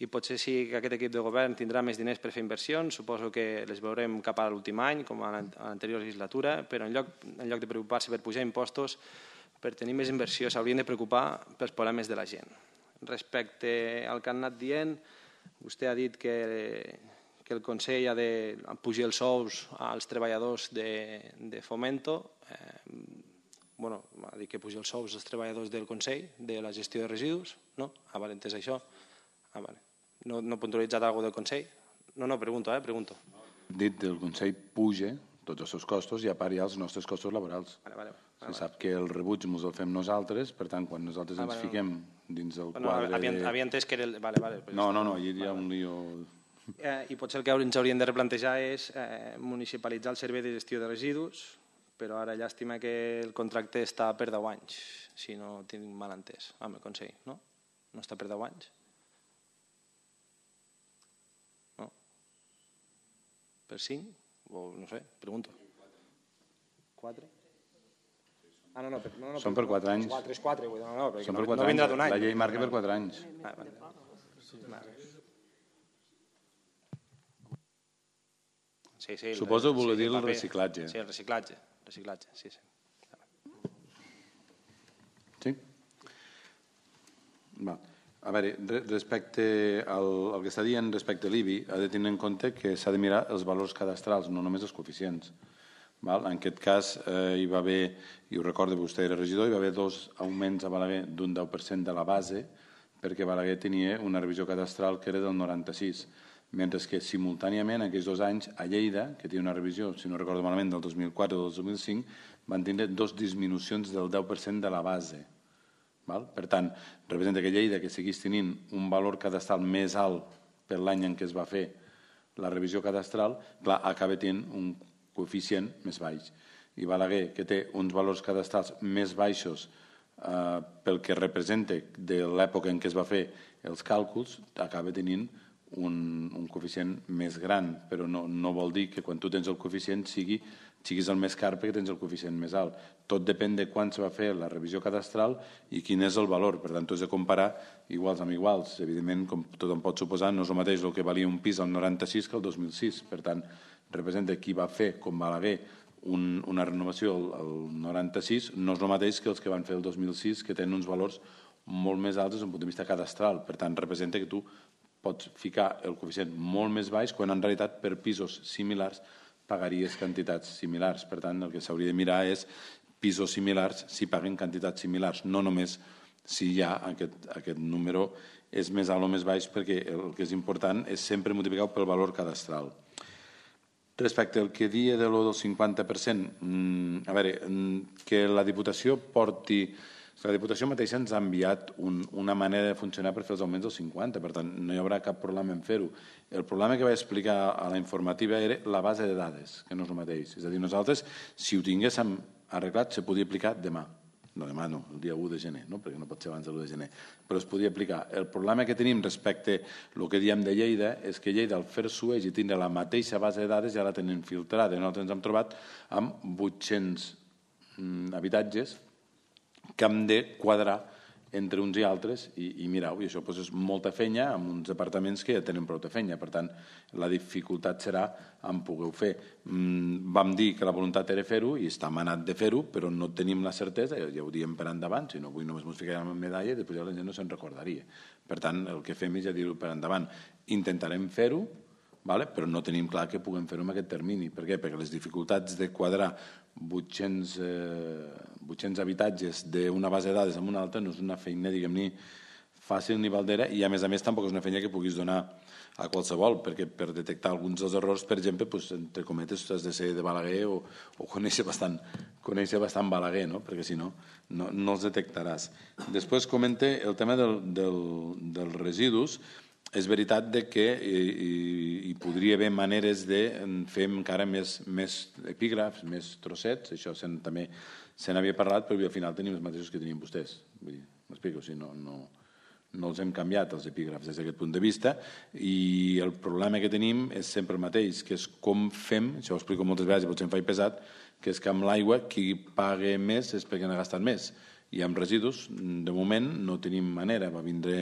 I potser sí que aquest equip de govern tindrà més diners per fer inversions, suposo que les veurem cap a l'últim any, com a l'anterior legislatura, però en lloc, en lloc de preocupar-se per pujar impostos, per tenir més inversió, s'haurien de preocupar pels problemes de la gent. Respecte al que han anat dient, vostè ha dit que, que el Consell ha de pujar els sous als treballadors de, de Fomento. Eh, bueno, ha dit que pujar els sous als treballadors del Consell de la gestió de residus, no? Ah, vale, entès això. Ah, vale. No, no puntualitzat alguna del Consell? No, no, pregunto, eh, pregunto. Dit del Consell puja tots els seus costos i a part hi ha els nostres costos laborals. Vale, vale. Se sap que el rebuig ens el fem nosaltres, per tant, quan nosaltres ens fiquem dins el quadre... Havia entès que era... Vale, vale. No, no, no, hi ha un lío... I potser el que ens hauríem de replantejar és municipalitzar el servei de gestió de residus, però ara llàstima que el contracte està per deu anys, si no tinc mal entès, amb el Consell, no? No està per deu anys? No? Per cinc? O no sé, pregunto. Quatre? Ah, no, no, per, no, no, Són per quatre anys. Quatre, és quatre, no, no, perquè no, no vindrà d'un any. La llei marca per quatre anys. Ah, vale. Sí, sí, Suposo que voler sí, dir el paper. reciclatge. Sí, el reciclatge. reciclatge, sí, sí. Sí? Va. A veure, respecte al, al que està dient respecte a l'I B I, ha de tenir en compte que s'ha de mirar els valors cadastrals, no només els coeficients. Val? En aquest cas eh, hi va haver, i ho recordo, vostè era regidor, hi va haver dos augments a Balaguer d'un deu per cent de la base, perquè Balaguer tenia una revisió cadastral que era del noranta-sis, mentre que simultàniament en aquells dos anys a Lleida, que té una revisió, si no recordo malament, del dos mil quatre o del dos mil cinc, van tindre dos disminucions del deu per cent de la base. Val? Per tant, representa que Lleida, que seguís tenint un valor cadastral més alt per l'any en què es va fer la revisió cadastral, clar, acaba tenint un coeficient més baix. I Balaguer, que té uns valors cadastrals més baixos eh, pel que representa de l'època en què es va fer els càlculs, acaba tenint un, un coeficient més gran, però no, no vol dir que quan tu tens el coeficient sigui, siguis el més car perquè tens el coeficient més alt. Tot depèn de quan se va fer la revisió cadastral i quin és el valor. Per tant, tu has de comparar iguals amb iguals. Evidentment, com tothom pot suposar, no és el mateix el que valia un pis al noranta-sis que el dos mil sis. Per tant, representa qui va fer, com Balaguer, un, una renovació al, al noranta-sis, no és el mateix que els que van fer el dos mil sis, que tenen uns valors molt més alts des d'un punt de vista cadastral. Per tant, representa que tu pots ficar el coeficient molt més baix quan en realitat per pisos similars pagaries quantitats similars. Per tant, el que s'hauria de mirar és pisos similars si paguen quantitats similars, no només si ja aquest, aquest número és més alt o més baix, perquè el que és important és sempre multiplicar pel valor cadastral. Respecte al que dia de lo del cinquanta per cent, a veure, que la Diputació porti... La Diputació mateixa ens ha enviat un, una manera de funcionar per fer els augments del cinquanta, per tant, no hi haurà cap problema en fer-ho. El problema que vaig explicar a la informativa era la base de dades, que no és el mateix. És a dir, nosaltres, si ho tinguéssim arreglat, se podia aplicar demà. No, demà no, el dia u de gener, no? Perquè no pot ser abans de l'u de gener, però es podia aplicar. El problema que tenim respecte al que diem de Lleida és que Lleida, al fer-s'ho i tindre la mateixa base de dades, ja la tenen filtrada. Nosaltres ens hem trobat amb vuit-cents mm, habitatges que hem de quadrar entre uns i altres i, i mirau, i això doncs, és molta feina amb uns apartaments que ja tenen prou de feina. Per tant, la dificultat serà en poder-ho fer. Mm, vam dir que la voluntat era fer-ho i està manat de fer-ho, però no tenim la certesa, ja ho diem per endavant, si no avui només ens ficarem en medalla i després ja la gent no se'n recordaria. Per tant, el que fem és ja dir-ho per endavant. Intentarem fer-ho, vale? Però no tenim clar que puguem fer-ho en aquest termini. Per què? Perquè les dificultats de quadrar vuit-cents, eh, vuit-cents habitatges d'una base de dades amb una altra no és una feina, diguem-ne, fàcil ni valdera, i a més a més tampoc és una feina que puguis donar a qualsevol, perquè per detectar alguns dels errors, per exemple, pues, entre cometes, has de ser de Balaguer o, o conèixer bastant, conèixer bastant Balaguer, no? Perquè si no, no, no els detectaràs. Després comente el tema del, del, dels residus. És veritat de que hi, hi podria haver maneres de fer encara més, més epígrafs, més trossets, això sen, també se n'havia parlat, però al final tenim els mateixos que tenien vostès. M'explico, o sigui, no, no, no els hem canviat, els epígrafs, des d'aquest punt de vista, i el problema que tenim és sempre el mateix, que és com fem, això ho explico moltes vegades i potser em faig pesat, que és que amb l'aigua qui paga més és perquè n'ha gastat més. I amb residus, de moment, no tenim manera. Va vindre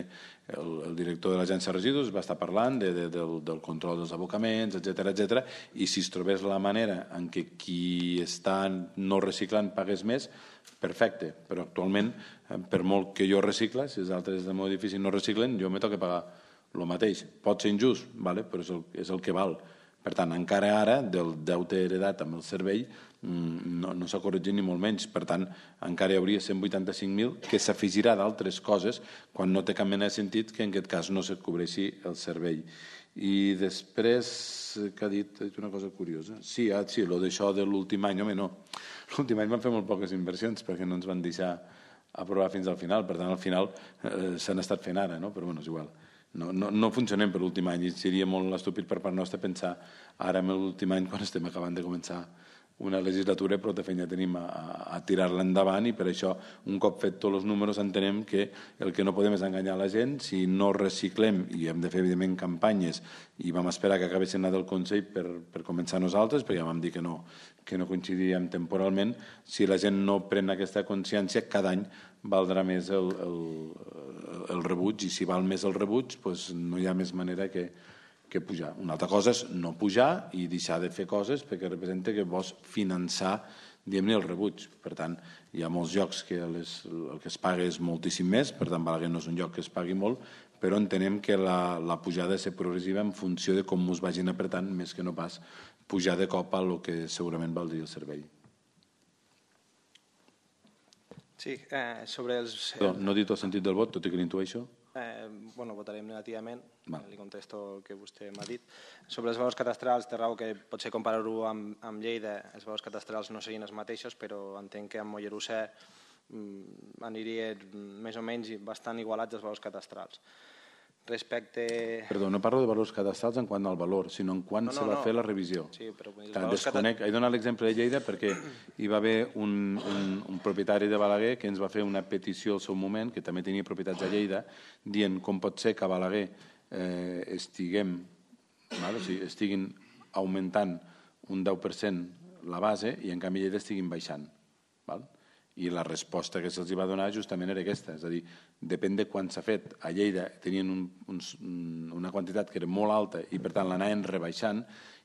el, el director de l'agència de residus, va estar parlant de, de, del, del control dels abocaments, etcètera, etcètera, i si es trobés la manera en què qui està no reciclant pagués més, perfecte. Però actualment, per molt que jo recicle, si els altres del meu edifici no reciclen, jo m'he toca pagar el mateix. Pot ser injust, vale? Però és el, és el que val. Per tant, encara ara, del deute heredat amb el servei, no, no s'ha corregit ni molt menys. Per tant, encara hi hauria cent vuitanta-cinc mil que s'afegirà d'altres coses quan no té cap mena de sentit que en aquest cas no se cobreixi el servei. I després, que ha dit, ha dit una cosa curiosa. Sí, ah, sí, lo d'això de l'últim any, home, no. L'últim any van fer molt poques inversions perquè no ens van deixar aprovar fins al final. Per tant, al final eh, s'han estat fent ara, no? Però bueno, és igual. No, no, no funcionem per l'últim any i seria molt estúpid per part nostra pensar ara en l'últim any quan estem acabant de començar una legislatura, però de feina tenim a, a tirar-la endavant i per això un cop fet tots els números entenem que el que no podem és enganyar la gent. Si no reciclem i hem de fer evidentment campanyes i vam esperar que acabessin la del Consell per, per començar nosaltres, perquè ja vam dir que no, que no coincidiríem temporalment, si la gent no pren aquesta consciència cada any valdrà més el, el, el rebuig i si val més el rebuig doncs no hi ha més manera que que pujar. Una altra cosa és no pujar i deixar de fer coses perquè representa que vols finançar diguem-ne el rebuig. Per tant, hi ha molts llocs que les, el que es paga és moltíssim més, per tant Balaguer no és un lloc que es pagui molt, però entenem que la, la pujada ha de ser progressiva en funció de com us vagin apretant, més que no pas pujar de cop a el que segurament valdria el servei. Sí, eh, sobre els... Però no he dit el sentit del vot, tot i que l'intueixo. Eh, bueno, votarem negativament, Val. li contesto el que vostè m'ha dit. Sobre els valors cadastrals, té raó que potser comparar-ho amb, amb Lleida, els valors cadastrals no serien els mateixos, però entenc que amb Mollerussa mm, aniria més o menys bastant igualats els valors cadastrals. Respecte... Perdó, no parlo de valors cadastrals en quant al valor, sinó en quan no, no, se va no. fer la revisió. Sí, però els Clar, desconec, he donat l'exemple de Lleida perquè hi va haver un, un, un propietari de Balaguer que ens va fer una petició al seu moment, que també tenia propietats a Lleida, dient com pot ser que a Balaguer eh, estiguem, val? O sigui, estiguin augmentant un deu per cent la base i en canvi Lleida estiguin baixant. Val? I la resposta que se'ls va donar justament era aquesta, és a dir, depèn de quan s'ha fet. A Lleida tenien un, un, una quantitat que era molt alta i per tant l'anaven rebaixant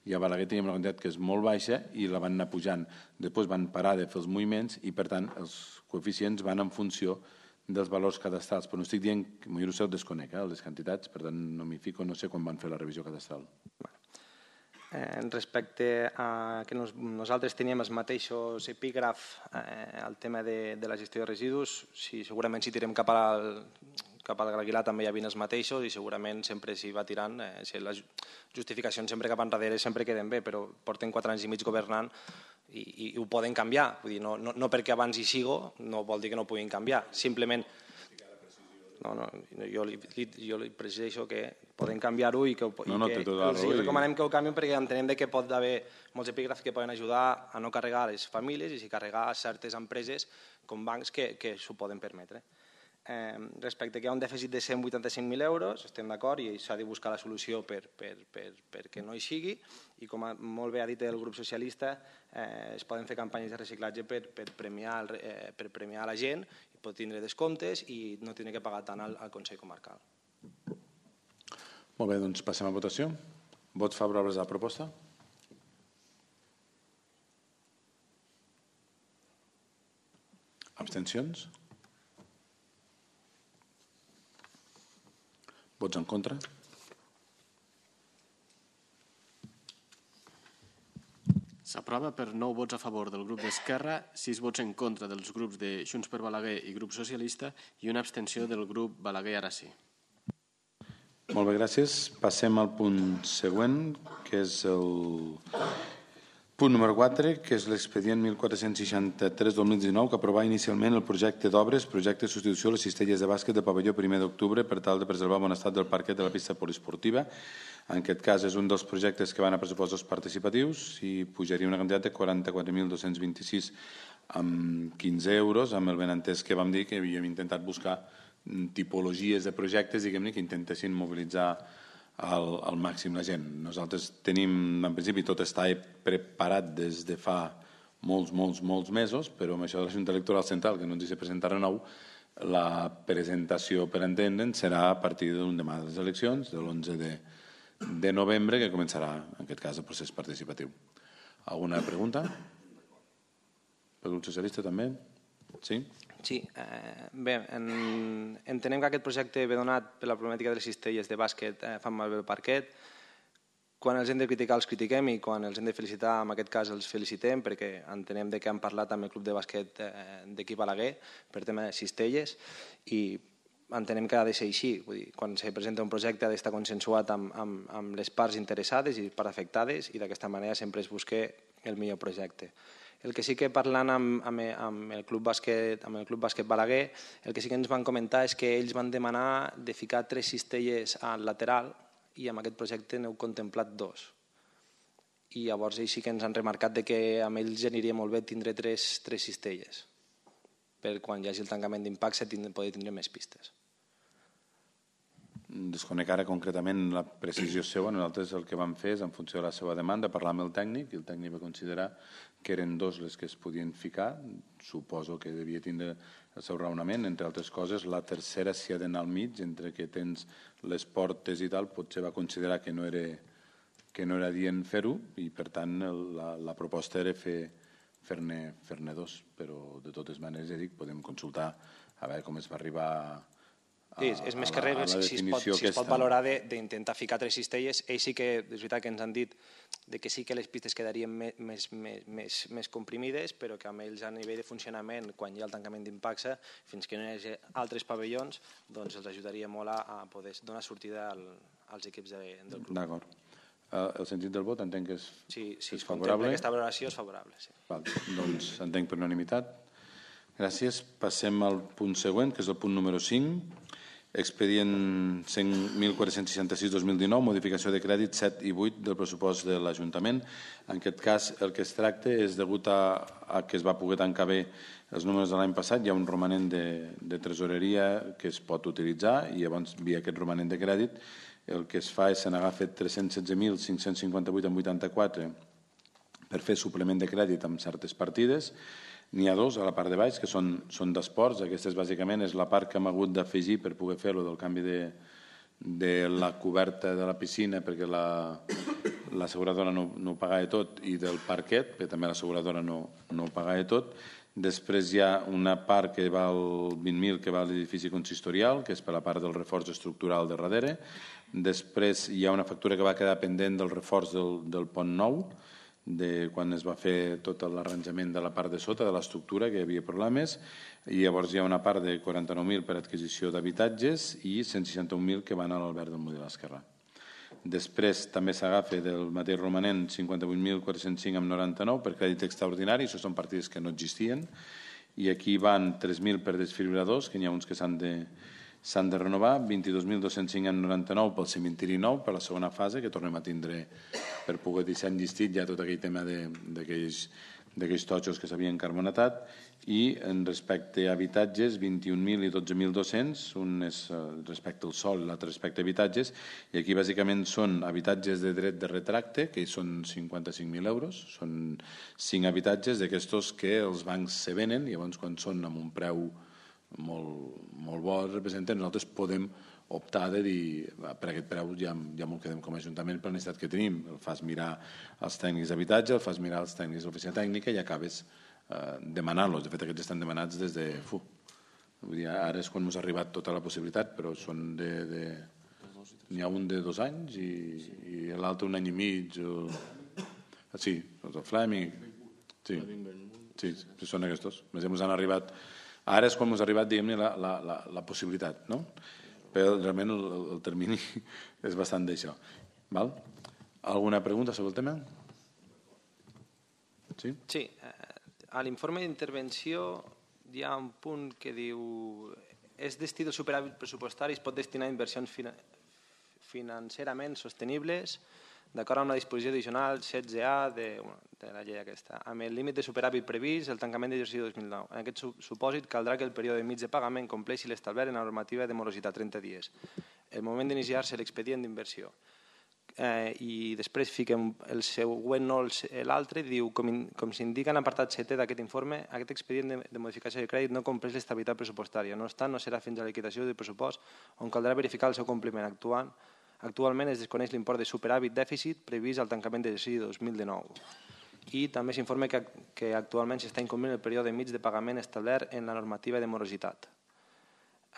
i a Balaguer teníem una quantitat que és molt baixa i la van anar pujant. Després van parar de fer els moviments i per tant els coeficients van en funció dels valors cadastrals. Però no estic dient que jo ho desconec, eh, les quantitats, per tant no m'hi fico, no sé quan van fer la revisió cadastral. Eh, respecte a que nos, nosaltres teníem els mateixos epígraf eh, al tema de, de la gestió de residus, si, segurament si tirem cap al, cap al Aguilar també hi havia els mateixos i segurament sempre s'hi va tirant, eh, si les justificacions sempre cap enrere sempre queden bé, però porten quatre anys i mig governant i, i, i ho poden canviar, vull dir, no, no, no perquè abans hi sigo no vol dir que no puguin canviar, simplement No, no, jo li, jo li presideixo que poden canviar-ho i que, no, no, i que tota els recomanem que ho canvien perquè entenem que pot haver molts epígrafs que poden ajudar a no carregar les famílies i si carregar certes empreses com bancs que, que s'ho poden permetre. Eh, respecte que hi ha un dèficit de cent vuitanta-cinc mil euros, estem d'acord i s'ha de buscar la solució per, per, per, perquè no hi sigui i com molt bé ha dit el grup socialista eh, es poden fer campanyes de reciclatge per, per, premiar, eh, per premiar la gent i pot tindre descomptes i no tindre que pagar tant al, al Consell Comarcal. Molt bé, doncs passem a votació. Vots favorables a la proposta? Abstencions? Vots en contra? S'aprova per nou vots a favor del grup d'Esquerra, sis vots en contra dels grups de Junts per Balaguer i grup socialista i una abstenció del grup Balaguer ara sí. Molt bé, gràcies. Passem al punt següent, que és el punt número quatre, que és l'expedient mil quatre-cents seixanta-tres dos mil dinou, que aprovava inicialment el projecte d'obres, projecte de substitució a les cistelles de bàsquet de pavelló primer d'octubre per tal de preservar el bon estat del parquet de la pista poliesportiva. En aquest cas és un dels projectes que van a pressupostos participatius i pujaria una quantitat de quaranta-quatre mil dos-cents vint-i-sis amb quinze euros, amb el benentès que vam dir que havíem intentat buscar tipologies de projectes, diguem-ne, que intentessin mobilitzar al, al màxim la gent. Nosaltres tenim, en principi, tot està preparat des de fa molts, molts, molts mesos, però amb això de la Junta Electoral Central, que no ens hi presentarà nou, la presentació, per entendre'n, serà a partir d'un demà de les eleccions, de l'onze de, de novembre, que començarà, en aquest cas, el procés participatiu. Alguna pregunta? Per grup socialista, també? Sí? Sí, eh, bé, en, entenem que aquest projecte ve donat per la problemàtica de les cistelles de bàsquet eh, fan malbé el parquet. Quan els hem de criticar els critiquem i quan els hem de felicitar, en aquest cas els felicitem perquè entenem de que han parlat amb el club de bàsquet eh, d'equip Balaguer per tema de cistelles i entenem que ha de ser així. Vull dir, quan se presenta un projecte ha d'estar consensuat amb, amb, amb les parts interessades i parts afectades i d'aquesta manera sempre es busca el millor projecte. El que sí que parlant amb, amb, amb, el Club Bàsquet, amb el Club Bàsquet Balaguer, el que sí que ens van comentar és que ells van demanar de ficar tres cistelles al lateral i amb aquest projecte n'heu contemplat dos. I llavors ells sí que ens han remarcat de que amb ells aniria molt bé tindre tres, tres cistelles per quan hi hagi el tancament d'impacte poder tindre més pistes. Desconec ara concretament la precisió seva. Nosaltres el que vam fer és, en funció de la seva demanda, parlar amb el tècnic i el tècnic va considerar que eren dos les que es podien ficar. Suposo que devia tindre el seu raonament. Entre altres coses, la tercera s'hi ha d'anar al mig, entre que tens les portes i tal, potser va considerar que no era, que no era dient fer-ho i, per tant, la, la proposta era fer fer-ne fer-ne dos. Però, de totes maneres, ja dic, podem consultar a veure com es va arribar a Sí, és més que res, si es pot, si es pot valorar d'intentar ficar tres cistelles. Ells sí que, és veritat que ens han dit de que sí que les pistes quedarien més, més, més, més comprimides, però que amb ells a nivell de funcionament, quan hi ha el tancament d'impacte, fins que no hi hagi altres pavellons, doncs els ajudaria molt a, a poder donar sortida al, als equips de, del club. D'acord. El sentit del vot entenc que és, sí, sí, és favorable. Aquesta valoració és favorable, sí. Val, doncs entenc per unanimitat. Gràcies. Passem al punt següent, que és el punt número cinc. Expedient mil quatre-cents seixanta-sis dos mil dinou, modificació de crèdit set i vuit del pressupost de l'Ajuntament. En aquest cas, el que es tracta és, degut a, a que es va poder tancar bé els números de l'any passat, hi ha un romanent de, de tresoreria que es pot utilitzar i llavors, via aquest romanent de crèdit, el que es fa és se n'agafa tres-cents setze mil cinc-cents cinquanta-vuit coma vuitanta-quatre per fer suplement de crèdit amb certes partides. N'hi ha dos a la part de baix, que són, són d'esports. Aquesta és, bàsicament és la part que hem hagut d'afegir per poder fer-lo del canvi de, de la coberta de la piscina, perquè l'asseguradora la, no, no ho pagava tot, i del parquet, perquè també l'asseguradora no, no ho pagava tot. Després hi ha una part que val vint mil, que va a l'edifici consistorial, que és per la part del reforç estructural de darrere. Després hi ha una factura que va quedar pendent del reforç del, del pont nou, de quan es va fer tot l'arranjament de la part de sota, de l'estructura, que hi havia problemes, i llavors hi ha una part de quaranta-nou mil per adquisició d'habitatges i cent seixanta-un mil que van a l'Albert del Mudí l'Esquerrà. Després també s'agafa del mateix romanent cinquanta-vuit mil quatre-cents cinc coma noranta-nou per crèdit extraordinari, això són partides que no existien, i aquí van tres mil per desfibriladors, que n'hi ha uns que s'han de s'han de renovar, vint-i-dos mil dos-cents cinc coma noranta-nou pel cementiri nou, per la segona fase, que tornem a tindre per poder deixar enllistit ja tot aquell tema d'aquells totxos que s'havien carbonatat, i en respecte a habitatges, vint-i-un mil i dotze mil dos-cents, un és respecte al sol i l'altre respecte a habitatges, i aquí bàsicament són habitatges de dret de retracte, que són cinquanta-cinc mil euros, són cinc habitatges d'aquestos que els bancs se venen, i llavors quan són amb un preu molt, molt bo representen, nosaltres podem optar de dir, per aquest preu ja, ja m'ho quedem com a Ajuntament per la necessitat que tenim, el fas mirar els tècnics d'habitatge, el fas mirar els tècnics de l'oficina tècnica i acabes eh, demanant-los. De fet, aquests estan demanats des de... Fu, vull dir, ara és quan ens ha arribat tota la possibilitat, però són de... de n'hi ha un de dos anys i, i l'altre un any i mig. O... Sí, el Fleming. Sí, sí, sí, són aquests. Més ens han arribat... Ara és quan ens ha arribat, diguem-ne, la, la, la, la possibilitat, no? Però realment el, el termini és bastant d'això. Val? Alguna pregunta sobre el tema? Sí? Sí. A l'informe d'intervenció hi ha un punt que diu és destí del superàvit pressupostari es pot destinar a inversions fina, financerament sostenibles d'acord amb la disposició addicional setze A de, de la llei aquesta. Amb el límit de superàvit previst, el tancament d'exercici dos mil nou. En aquest supòsit caldrà que el període mig de pagament compleixi l'establert en la normativa de morositat trenta dies. El moment d'iniciar-se l'expedient d'inversió. Eh, I després fiquem el següent, no l'altre, diu, com, in, com s'indica en l'apartat setè d'aquest informe, aquest expedient de, de modificació de crèdit no compleix l'estabilitat pressupostària. No obstant, no serà fins a la liquidació del pressupost on caldrà verificar el seu compliment actuant. Actualment es desconeix l'import de superàvit dèficit previst al tancament d'exercici dos mil dinou. I també s'informa que, que actualment s'està incomplint el període mig de pagament establert en la normativa de morositat.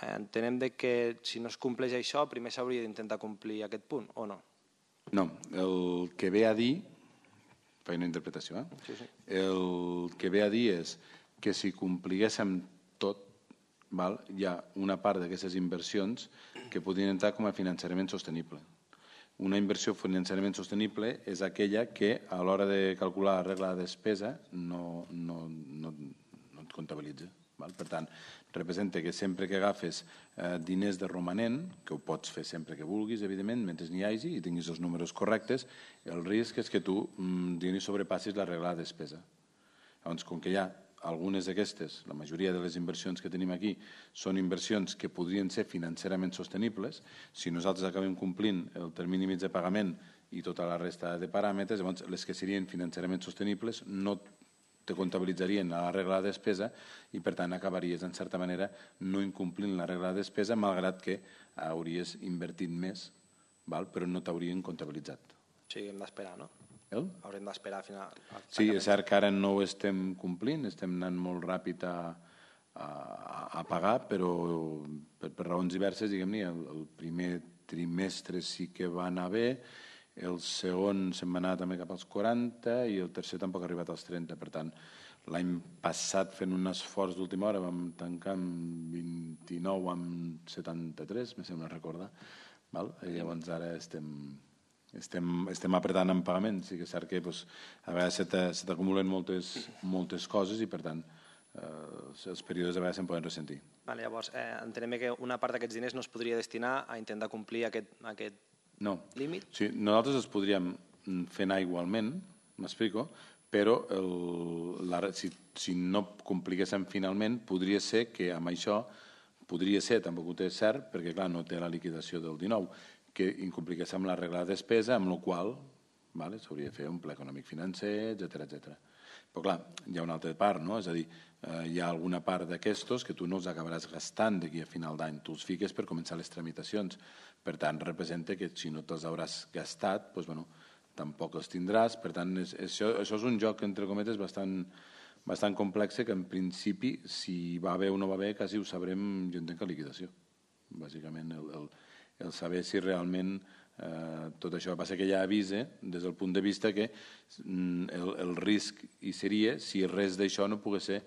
Entenem que si no es compleix això, primer s'hauria d'intentar complir aquest punt, o no? No, el que ve a dir, faig una interpretació, eh? Sí, sí. El que ve a dir és que si compliguéssim tot, val, hi ha una part d'aquestes inversions que podrien entrar com a finançament sostenible. Una inversió finançament sostenible és aquella que a l'hora de calcular la regla de despesa no, no, no, no et comptabilitza. Val? Per tant, representa que sempre que agafes eh, diners de romanent, que ho pots fer sempre que vulguis, evidentment, mentre n'hi hagi i tinguis els números correctes, el risc és que tu mm, sobrepassis la regla de despesa. Llavors, com que hi ha algunes d'aquestes, la majoria de les inversions que tenim aquí, són inversions que podrien ser financerament sostenibles, si nosaltres acabem complint el termini mig de pagament i tota la resta de paràmetres, llavors les que serien financerament sostenibles no te comptabilitzarien a la regla de despesa i, per tant, acabaries, en certa manera, no incomplint la regla de despesa, malgrat que hauries invertit més, val? Però no t'haurien comptabilitzat. O sigui, hem d'esperar, no? El? Haurem d'esperar al final. Sí, és cert que ara no ho estem complint, estem anant molt ràpid a, a, a pagar, però per, per raons diverses, diguem-ne, el, el primer trimestre sí que va anar bé, el segon se'n va anar també cap als quaranta i el tercer tampoc ha arribat als trenta. Per tant, l'any passat, fent un esforç d'última hora, vam tancar amb vint-i-nou amb setanta-tres, me sembla recordar. Val? I llavors ara estem, estem, estem apretant en pagament. Sí que és cert que doncs, a vegades se t'acumulen moltes, moltes coses i, per tant, eh, els períodes a vegades se'n poden ressentir. Vale, llavors, eh, entenem que una part d'aquests diners no es podria destinar a intentar complir aquest, aquest No. límit? Sí, nosaltres els podríem fer anar igualment, m'explico, però el, la, si, si no compliguéssim finalment, podria ser que amb això, podria ser, tampoc ho té cert, perquè clar, no té la liquidació del dinou, que incompliguéssim la regla de despesa, amb la qual vale, s'hauria de fer un pla econòmic financer, etcètera, etcètera. Però clar, hi ha una altra part, no? És a dir, eh, hi ha alguna part d'aquestos que tu no els acabaràs gastant d'aquí a final d'any, tu els fiques per començar les tramitacions. Per tant, representa que si no te'ls hauràs gastat, doncs, bueno, tampoc els tindràs. Per tant, és, això, això és un joc, entre cometes, bastant, bastant complex, que en principi, si va bé o no va bé, quasi ho sabrem, jo entenc que liquidació. Bàsicament, el, el, el saber si realment eh, tot això passa que ja avisa des del punt de vista que mm, el, el risc hi seria si res d'això no pogués ser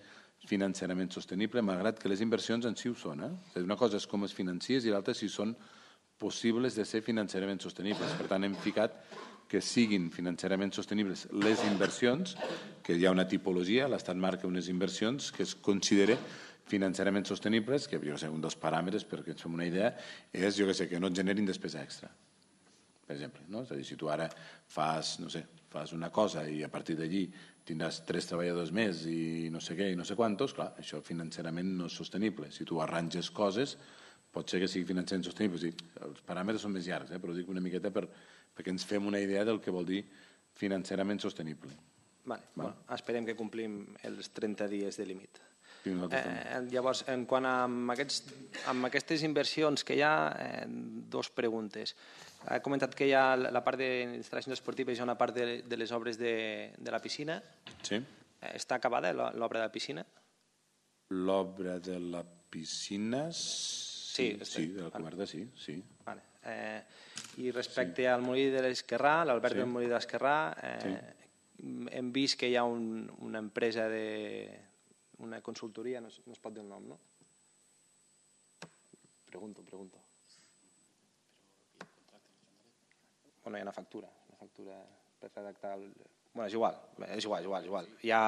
financerament sostenible, malgrat que les inversions en si ho són. Eh? Una cosa és com es financies i l'altra si són possibles de ser financerament sostenibles. Per tant, hem ficat que siguin financerament sostenibles les inversions, que hi ha una tipologia, l'Estat marca unes inversions que es considera financerament sostenibles, que jo sé, un dels paràmetres, perquè ens fem una idea, és, jo que sé, que no et generin despesa extra, per exemple. No? És a dir, si tu ara fas, no sé, fas una cosa i a partir d'allí tindràs tres treballadors més i no sé què i no sé quantos, clar, això financerament no és sostenible. Si tu arranges coses, pot ser que sigui financerament sostenible. O sigui, els paràmetres són més llargs, eh? Però ho dic una miqueta per, perquè ens fem una idea del que vol dir financerament sostenible. Vale. Bueno, esperem que complim els trenta dies de límit. Eh, llavors, en quant a amb, aquests, amb aquestes inversions que hi ha, eh, dos preguntes. Ha comentat que hi ha la part d'instal·lacions esportives, hi ha una part de, de les obres de, de la piscina. Sí. Eh, està acabada l'obra de la piscina? L'obra de la piscina... Sí, sí, sí, de la coberta, sí. sí. Vale. Eh, I respecte sí. al molí de l'Esquerrà, l'Albert sí. del molí de l'Esquerrà, eh, sí. hem vist que hi ha un, una empresa de... una consultoria, no es, no es pot dir el nom, no? Pregunto, pregunto. Bueno, hi ha una factura, una factura per redactar el... Bueno, és igual, és igual, és igual, és igual. Hi ha...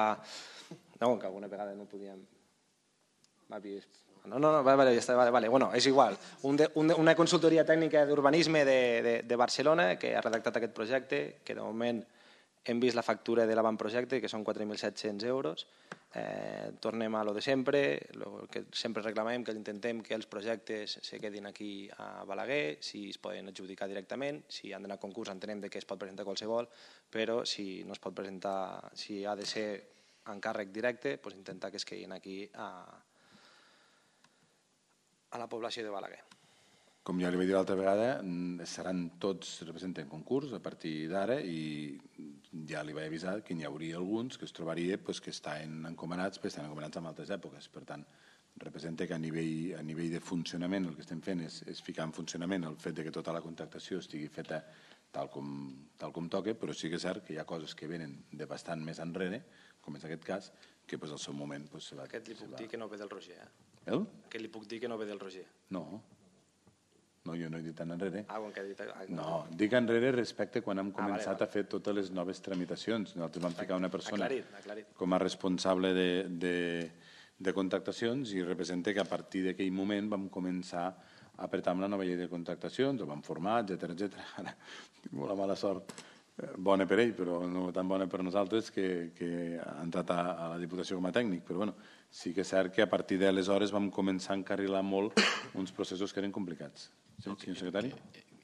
No, que alguna vegada no podíem... Va vist... No, no, no, vale, ja està, vale, vale. Bueno, és igual. Un de, un de, una consultoria tècnica d'urbanisme de, de, de Barcelona que ha redactat aquest projecte, que de moment hem vist la factura de l'avantprojecte, que són quatre mil set-cents euros. Eh, tornem a lo de sempre, lo que sempre reclamem, que intentem que els projectes se quedin aquí a Balaguer, si es poden adjudicar directament, si han d'anar a concurs entenem que es pot presentar qualsevol, però si no es pot presentar, si ha de ser encàrrec directe, doncs intentar que es quedin aquí a, a la població de Balaguer. Com ja li vaig dir l'altra vegada, seran tots representen concurs a partir d'ara i ja li vaig avisar que n'hi hauria alguns que es trobaria pues, que estan encomanats, però estan encomanats en altres èpoques. Per tant, representa que a nivell, a nivell de funcionament el que estem fent és, és ficar en funcionament el fet de que tota la contractació estigui feta tal com, tal com toca, però sí que és cert que hi ha coses que venen de bastant més enrere, com és aquest cas, que pues, al seu moment... Pues, se va, aquest li puc se va... dir que no ve del Roger, eh? El? Que li puc dir que no ve del Roger. No. No, jo no he dit tan enrere. Ah, quan que ha dit... No, dic enrere respecte quan hem començat a fer totes les noves tramitacions. Nosaltres vam ficar una persona com a responsable de contractacions i representa que a partir d'aquell moment vam començar a apretar amb la nova llei de contractacions, el vam formar, etcètera, etcètera. Ara, tinc molt mala sort. Bona per ell, però no tan bona per nosaltres, que ha entrat a la Diputació com a tècnic. Però bueno, sí que és cert que a partir d'aleshores vam començar a encarrilar molt uns processos que eren complicats. Sí, senyor secretari?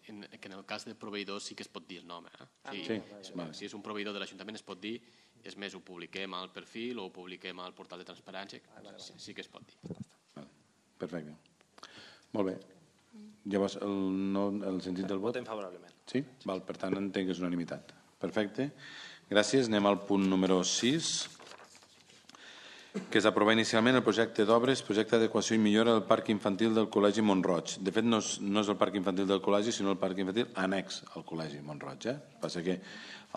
Que en el cas de proveïdors sí que es pot dir el nom. Sí. Si és un proveïdor de l'Ajuntament es pot dir, és més, ho publiquem al perfil o ho publiquem al portal de transparència, sí que es pot dir. Perfecte. Molt bé. Llavors, el sentit del vot? Votem favorablement. Sí? Per tant, entenc que és unanimitat. Perfecte. Gràcies. Anem al punt número sis, que és aprovar inicialment el projecte d'obres, projecte d'adequació i millora del parc infantil del Col·legi Mont-roig. De fet, no és el parc infantil del col·legi, sinó el parc infantil annex al Col·legi Mont-roig. Passa que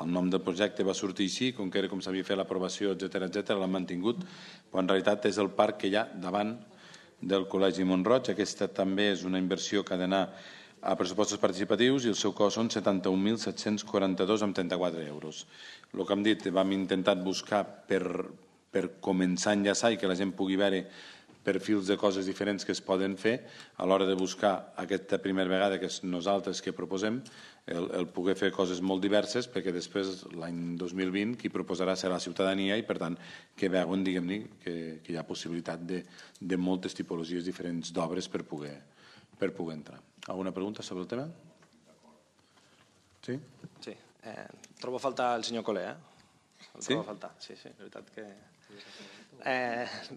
el nom del projecte va sortir així, com que era com s'havia fet l'aprovació, etcètera, etcètera, l'han mantingut, però en realitat és el parc que hi ha davant del Col·legi Mont-roig. Aquesta també és una inversió que ha d'anar a pressupostos participatius i el seu cost són setanta-un mil set-cents quaranta-dos coma trenta-quatre euros. El que hem dit, vam intentar buscar per per començar a enllaçar i que la gent pugui veure perfils de coses diferents que es poden fer a l'hora de buscar aquesta primera vegada que és nosaltres que proposem, el poder fer coses molt diverses, perquè després l'any dos mil vint qui proposarà serà la ciutadania i per tant que veuen, diguem-ne, que hi ha possibilitat de moltes tipologies diferents d'obres per poder entrar. Alguna pregunta sobre el tema? Sí? Sí. Trobo a faltar el senyor Colé, eh? El trobo a faltar, sí, sí, és veritat que...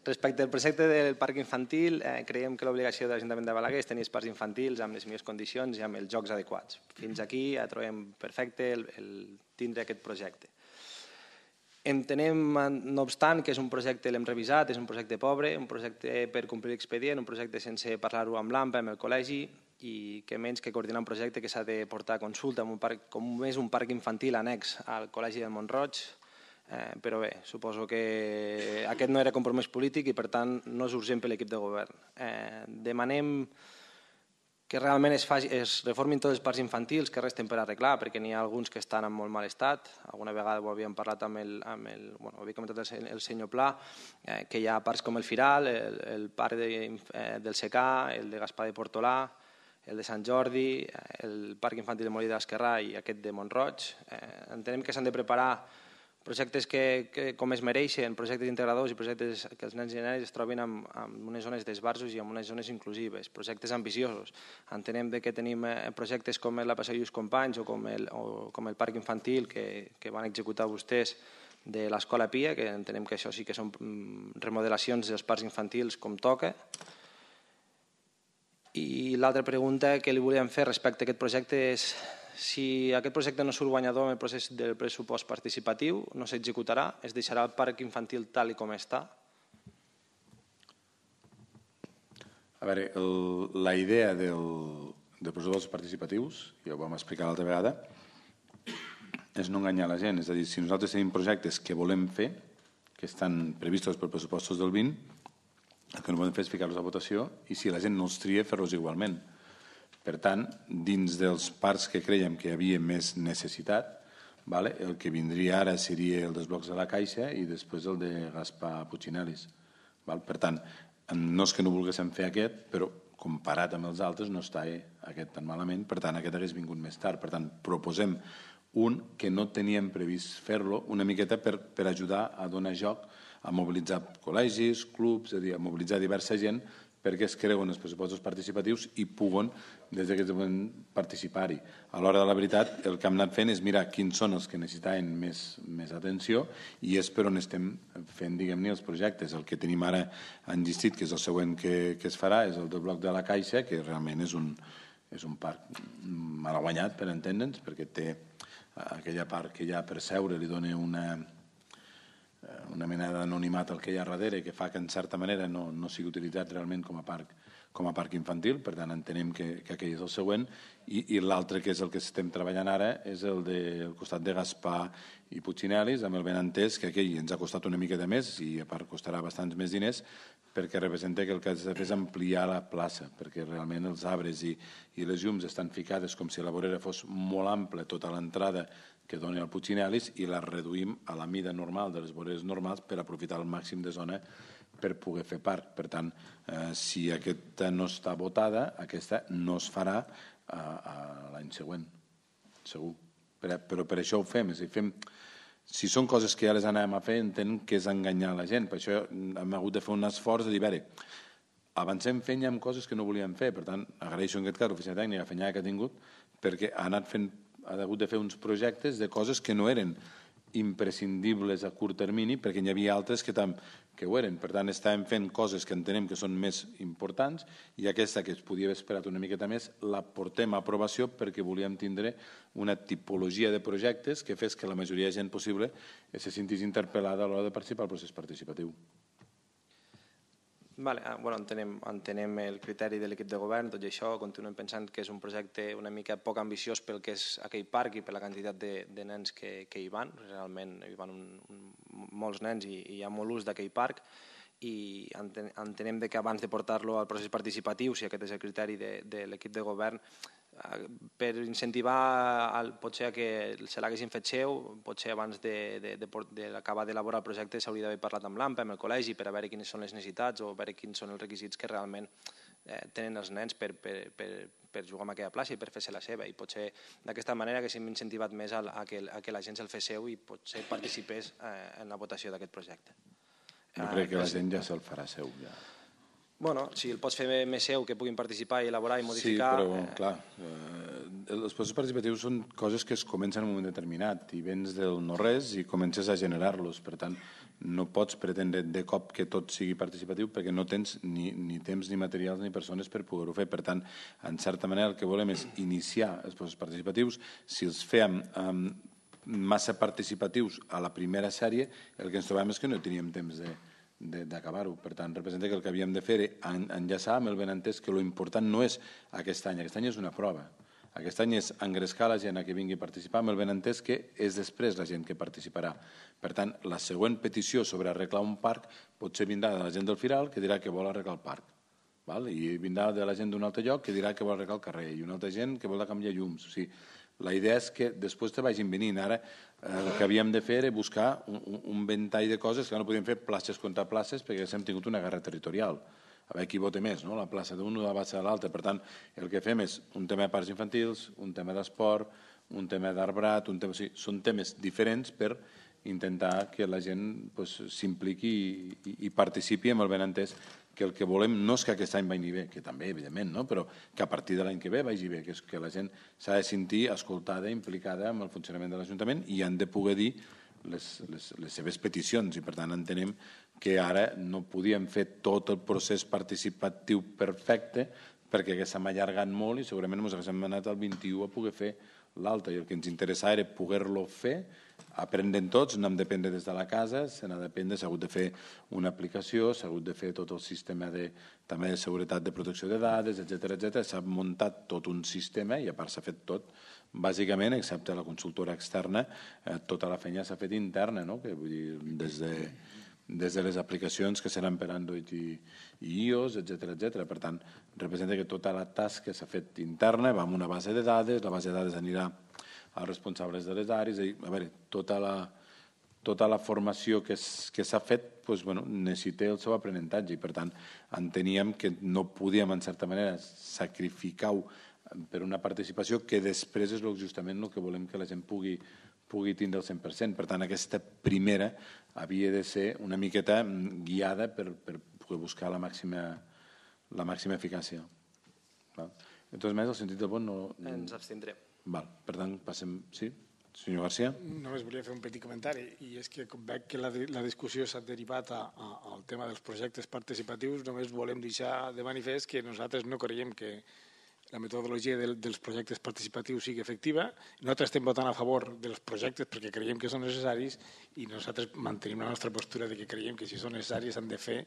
Respecte al projecte del parc infantil, creiem que l'obligació de l'Ajuntament de Balaguer és tenir espais infantils amb les millors condicions i amb els jocs adequats. Fins aquí ja trobem perfecte el tindre aquest projecte. Entenem, no obstant, que és un projecte, l'hem revisat, és un projecte pobre, un projecte per complir l'expedient, un projecte sense parlar-ho amb l'A M P, amb el col·legi, i que menys que coordinar un projecte que s'ha de portar a consulta com és un parc infantil annex al Col·legi del Mont-roig. Però bé, suposo que aquest no era compromís polític i per tant no és urgent per l'equip de govern. Demanem que realment es reformin tots els parcs infantils que resten per arreglar, perquè n'hi ha alguns que estan en molt mal estat. Alguna vegada ho havíem parlat amb el, bueno, ho havia comentat el senyor Pla, que hi ha parcs com el Firal, el parc del Secà, el de Gaspar de Portolà, el de Sant Jordi, el parc infantil de Molí de l'Esquerrà i aquest de Mont-roig. Entenem que s'han de preparar projectes que com es mereixen, projectes integradors i projectes que els nens i nenes es trobin en unes zones d'esbarjos i en unes zones inclusives, projectes ambiciosos. Entenem que tenim projectes com la Passeig Lluís Companys o com el parc infantil que van executar vostès de l'Escola Pia, que entenem que això sí que són remodelacions dels parcs infantils com toca. I l'altra pregunta que li volíem fer respecte a aquest projecte és si aquest projecte no surt guanyador en el procés del pressupost participatiu, no s'executarà, es deixarà el parc infantil tal com està? A veure, la idea dels pressupostos participatius, ja ho vam explicar l'altra vegada, és no enganyar la gent. És a dir, si nosaltres tenim projectes que volem fer, que estan previstos per pressupostos del vint, el que no podem fer és ficar-los a votació i si la gent no els tria, fer-los igualment. Per tant, dins dels parcs que creiem que hi havia més necessitat, el que vindria ara seria el dels blocs de la Caixa i després el de Gaspar Puigginelis. Per tant, no és que no volguéssim fer aquest, però comparat amb els altres no està aquest tan malament, per tant aquest hagués vingut més tard. Per tant, proposem un que no teníem previst fer-lo, una miqueta per ajudar a donar joc, a mobilitzar col·legis, clubs, és a dir, a mobilitzar diversa gent perquè es creuen els pressupostos participatius i puguen, des d'aquest moment, participar-hi. A l'hora de la veritat, el que hem anat fent és mirar quins són els que necessitaven més atenció i és per on estem fent, diguem-ne, els projectes. El que tenim ara enllistit, que és el següent que es farà, és el del bloc de la Caixa, que realment és un parc malaguanyat, per entendre'ns, perquè té aquella part que hi ha per seure, li dona una una mena d'anonimat el que hi ha darrere, que fa que en certa manera no, no sigui utilitzat realment com a parc com a parc infantil, per tant entenem que, que aquell és el següent, i, i l'altre, que és el que estem treballant ara, és el del costat de Gaspar i Puigcinelis, amb el benentès que aquell ens ha costat una mica de més, i a part costarà bastants més diners, perquè representa que el que has de fer és ampliar la plaça, perquè realment els arbres i, i les llums estan ficades com si la vorera fos molt ampla, tota l'entrada que doni al Puigcinelis, i la reduïm a la mida normal de les voreres normals per aprofitar el màxim de zona per poder fer parc. Per tant, eh, si aquesta no està votada, aquesta no es farà a, a l'any següent, segur. Però, però per això ho fem. És a dir, fem. Si són coses que ja les anem a fer, entenc que és enganyar la gent. Per això hem hagut de fer un esforç de dir, a veure, avancem fent ja amb coses que no volíem fer. Per tant, agraeixo en aquest cas l'oficina tècnica la feina que ha tingut, perquè ha anat fent, ha hagut de fer uns projectes de coses que no eren imprescindibles a curt termini, perquè n'hi havia altres que, tam, que ho eren. Per tant, estàvem fent coses que entenem que són més importants, i aquesta, que es podia haver esperat una miqueta més, la portem a aprovació perquè volíem tindre una tipologia de projectes que fes que la majoria de gent possible se sentís interpel·lada a l'hora de participar al procés participatiu. Vale, bueno, entenem, entenem el criteri de l'equip de govern, tot i això continuem pensant que és un projecte una mica poc ambiciós pel que és aquell parc i per la quantitat de, de nens que, que hi van. Realment hi van un, un, molts nens i, i hi ha molt ús d'aquell parc, i entenem que abans de portar-lo al procés participatiu, si aquest és el criteri de, de l'equip de govern, per incentivar el, potser que se l'haguessin fet seu, potser abans d'acabar d'elaborar el projecte s'hauria d'haver parlat amb l'AMPA, amb el col·legi, per a veure quines són les necessitats o veure quins són els requisits que realment eh, tenen els nens per, per, per, per jugar en aquella plaça i per fer-se la seva, i potser d'aquesta manera haguéssim incentivat més a, a, que, a que la gent se'l fes seu i potser participés eh, en la votació d'aquest projecte. Jo crec que la gent ja se'l farà seu, ja. Bueno, si el pots fer més seu, que puguin participar i elaborar i modificar... Sí, però, eh... clar, eh, els processos participatius són coses que es comencen en un moment determinat, i vens del no-res i comences a generar-los. Per tant, no pots pretendre de cop que tot sigui participatiu perquè no tens ni, ni temps, ni materials, ni persones per poder-ho fer. Per tant, en certa manera, el que volem és iniciar els processos participatius. Si els fem eh, massa participatius a la primera sèrie, el que ens trobem és que no teníem temps de d'acabar-ho. Per tant, representa que el que havíem de fer era enllaçar amb el benentès que l'important no és aquest any. Aquest any és una prova. Aquest any és engrescar la gent a que vingui a participar, amb el benentès que és després la gent que participarà. Per tant, la següent petició sobre arreglar un parc potser vindrà de la gent del Firal, que dirà que vol arreglar el parc. Val? I vindrà de la gent d'un altre lloc que dirà que vol arreglar el carrer, i una altra gent que vol canviar llums. O sigui, la idea és que després te vagin venint. Ara el que havíem de fer era buscar un, un ventall de coses que no podíem fer places contra places perquè hem tingut una guerra territorial. A veure qui vota més, no? La plaça d'un o la plaça de l'altre. Per tant, el que fem és un tema de parcs infantils, un tema d'esport, un tema d'arbrat, un tema... O sigui, són temes diferents per intentar que la gent pues, s'impliqui i, i, i participi amb el benentès, que el que volem no és que aquest any vagi bé, que també, evidentment, no? Però que a partir de l'any que ve vagi bé, que és que la gent s'ha de sentir escoltada, implicada amb el funcionament de l'Ajuntament i han de poder dir les, les, les seves peticions, i per tant entenem que ara no podíem fer tot el procés participatiu perfecte perquè s'ha allargat molt i segurament ens haguéssim anat al vint-i-u a poder fer l'altre, i el que ens interessava era poder-lo fer, aprendent tots, no hem de prendre des de la casa, se n'ha d'aprendre, s'ha hagut de fer una aplicació, s'ha hagut de fer tot el sistema de, també de seguretat de protecció de dades, etcètera, etcètera. S'ha muntat tot un sistema i a part s'ha fet tot, bàsicament, excepte la consultora externa, eh, tota la feina s'ha fet interna, no? Que, vull dir, des de, des de les aplicacions que seran per Android i, i iOS, etcètera, etcètera. Per tant, representa que tota la tasca s'ha fet interna, va amb una base de dades, la base de dades anirà als responsables de les àrees, a veure, tota la, tota la formació que s'ha fet doncs, bueno, necessita el seu aprenentatge i per tant enteníem que no podíem en certa manera sacrificar-ho per una participació que després és justament el que volem que la gent pugui, pugui tindre el cent per cent. Per tant, aquesta primera havia de ser una miqueta guiada per, per poder buscar la màxima, la màxima eficàcia. Val? Entonces, més, el sentit del vot no... Ens abstindrem. Val. Per tant, passem... Sí? Senyor García? Només volia fer un petit comentari, i és que com veig que la, la discussió s'ha derivat a, a, al tema dels projectes participatius, només volem deixar de manifest que nosaltres no creiem que, la metodologia del, dels projectes participatius sigui efectiva. Nosaltres estem votant a favor dels projectes perquè creiem que són necessaris i nosaltres mantenim la nostra postura de que creiem que si són necessaris s'han de fer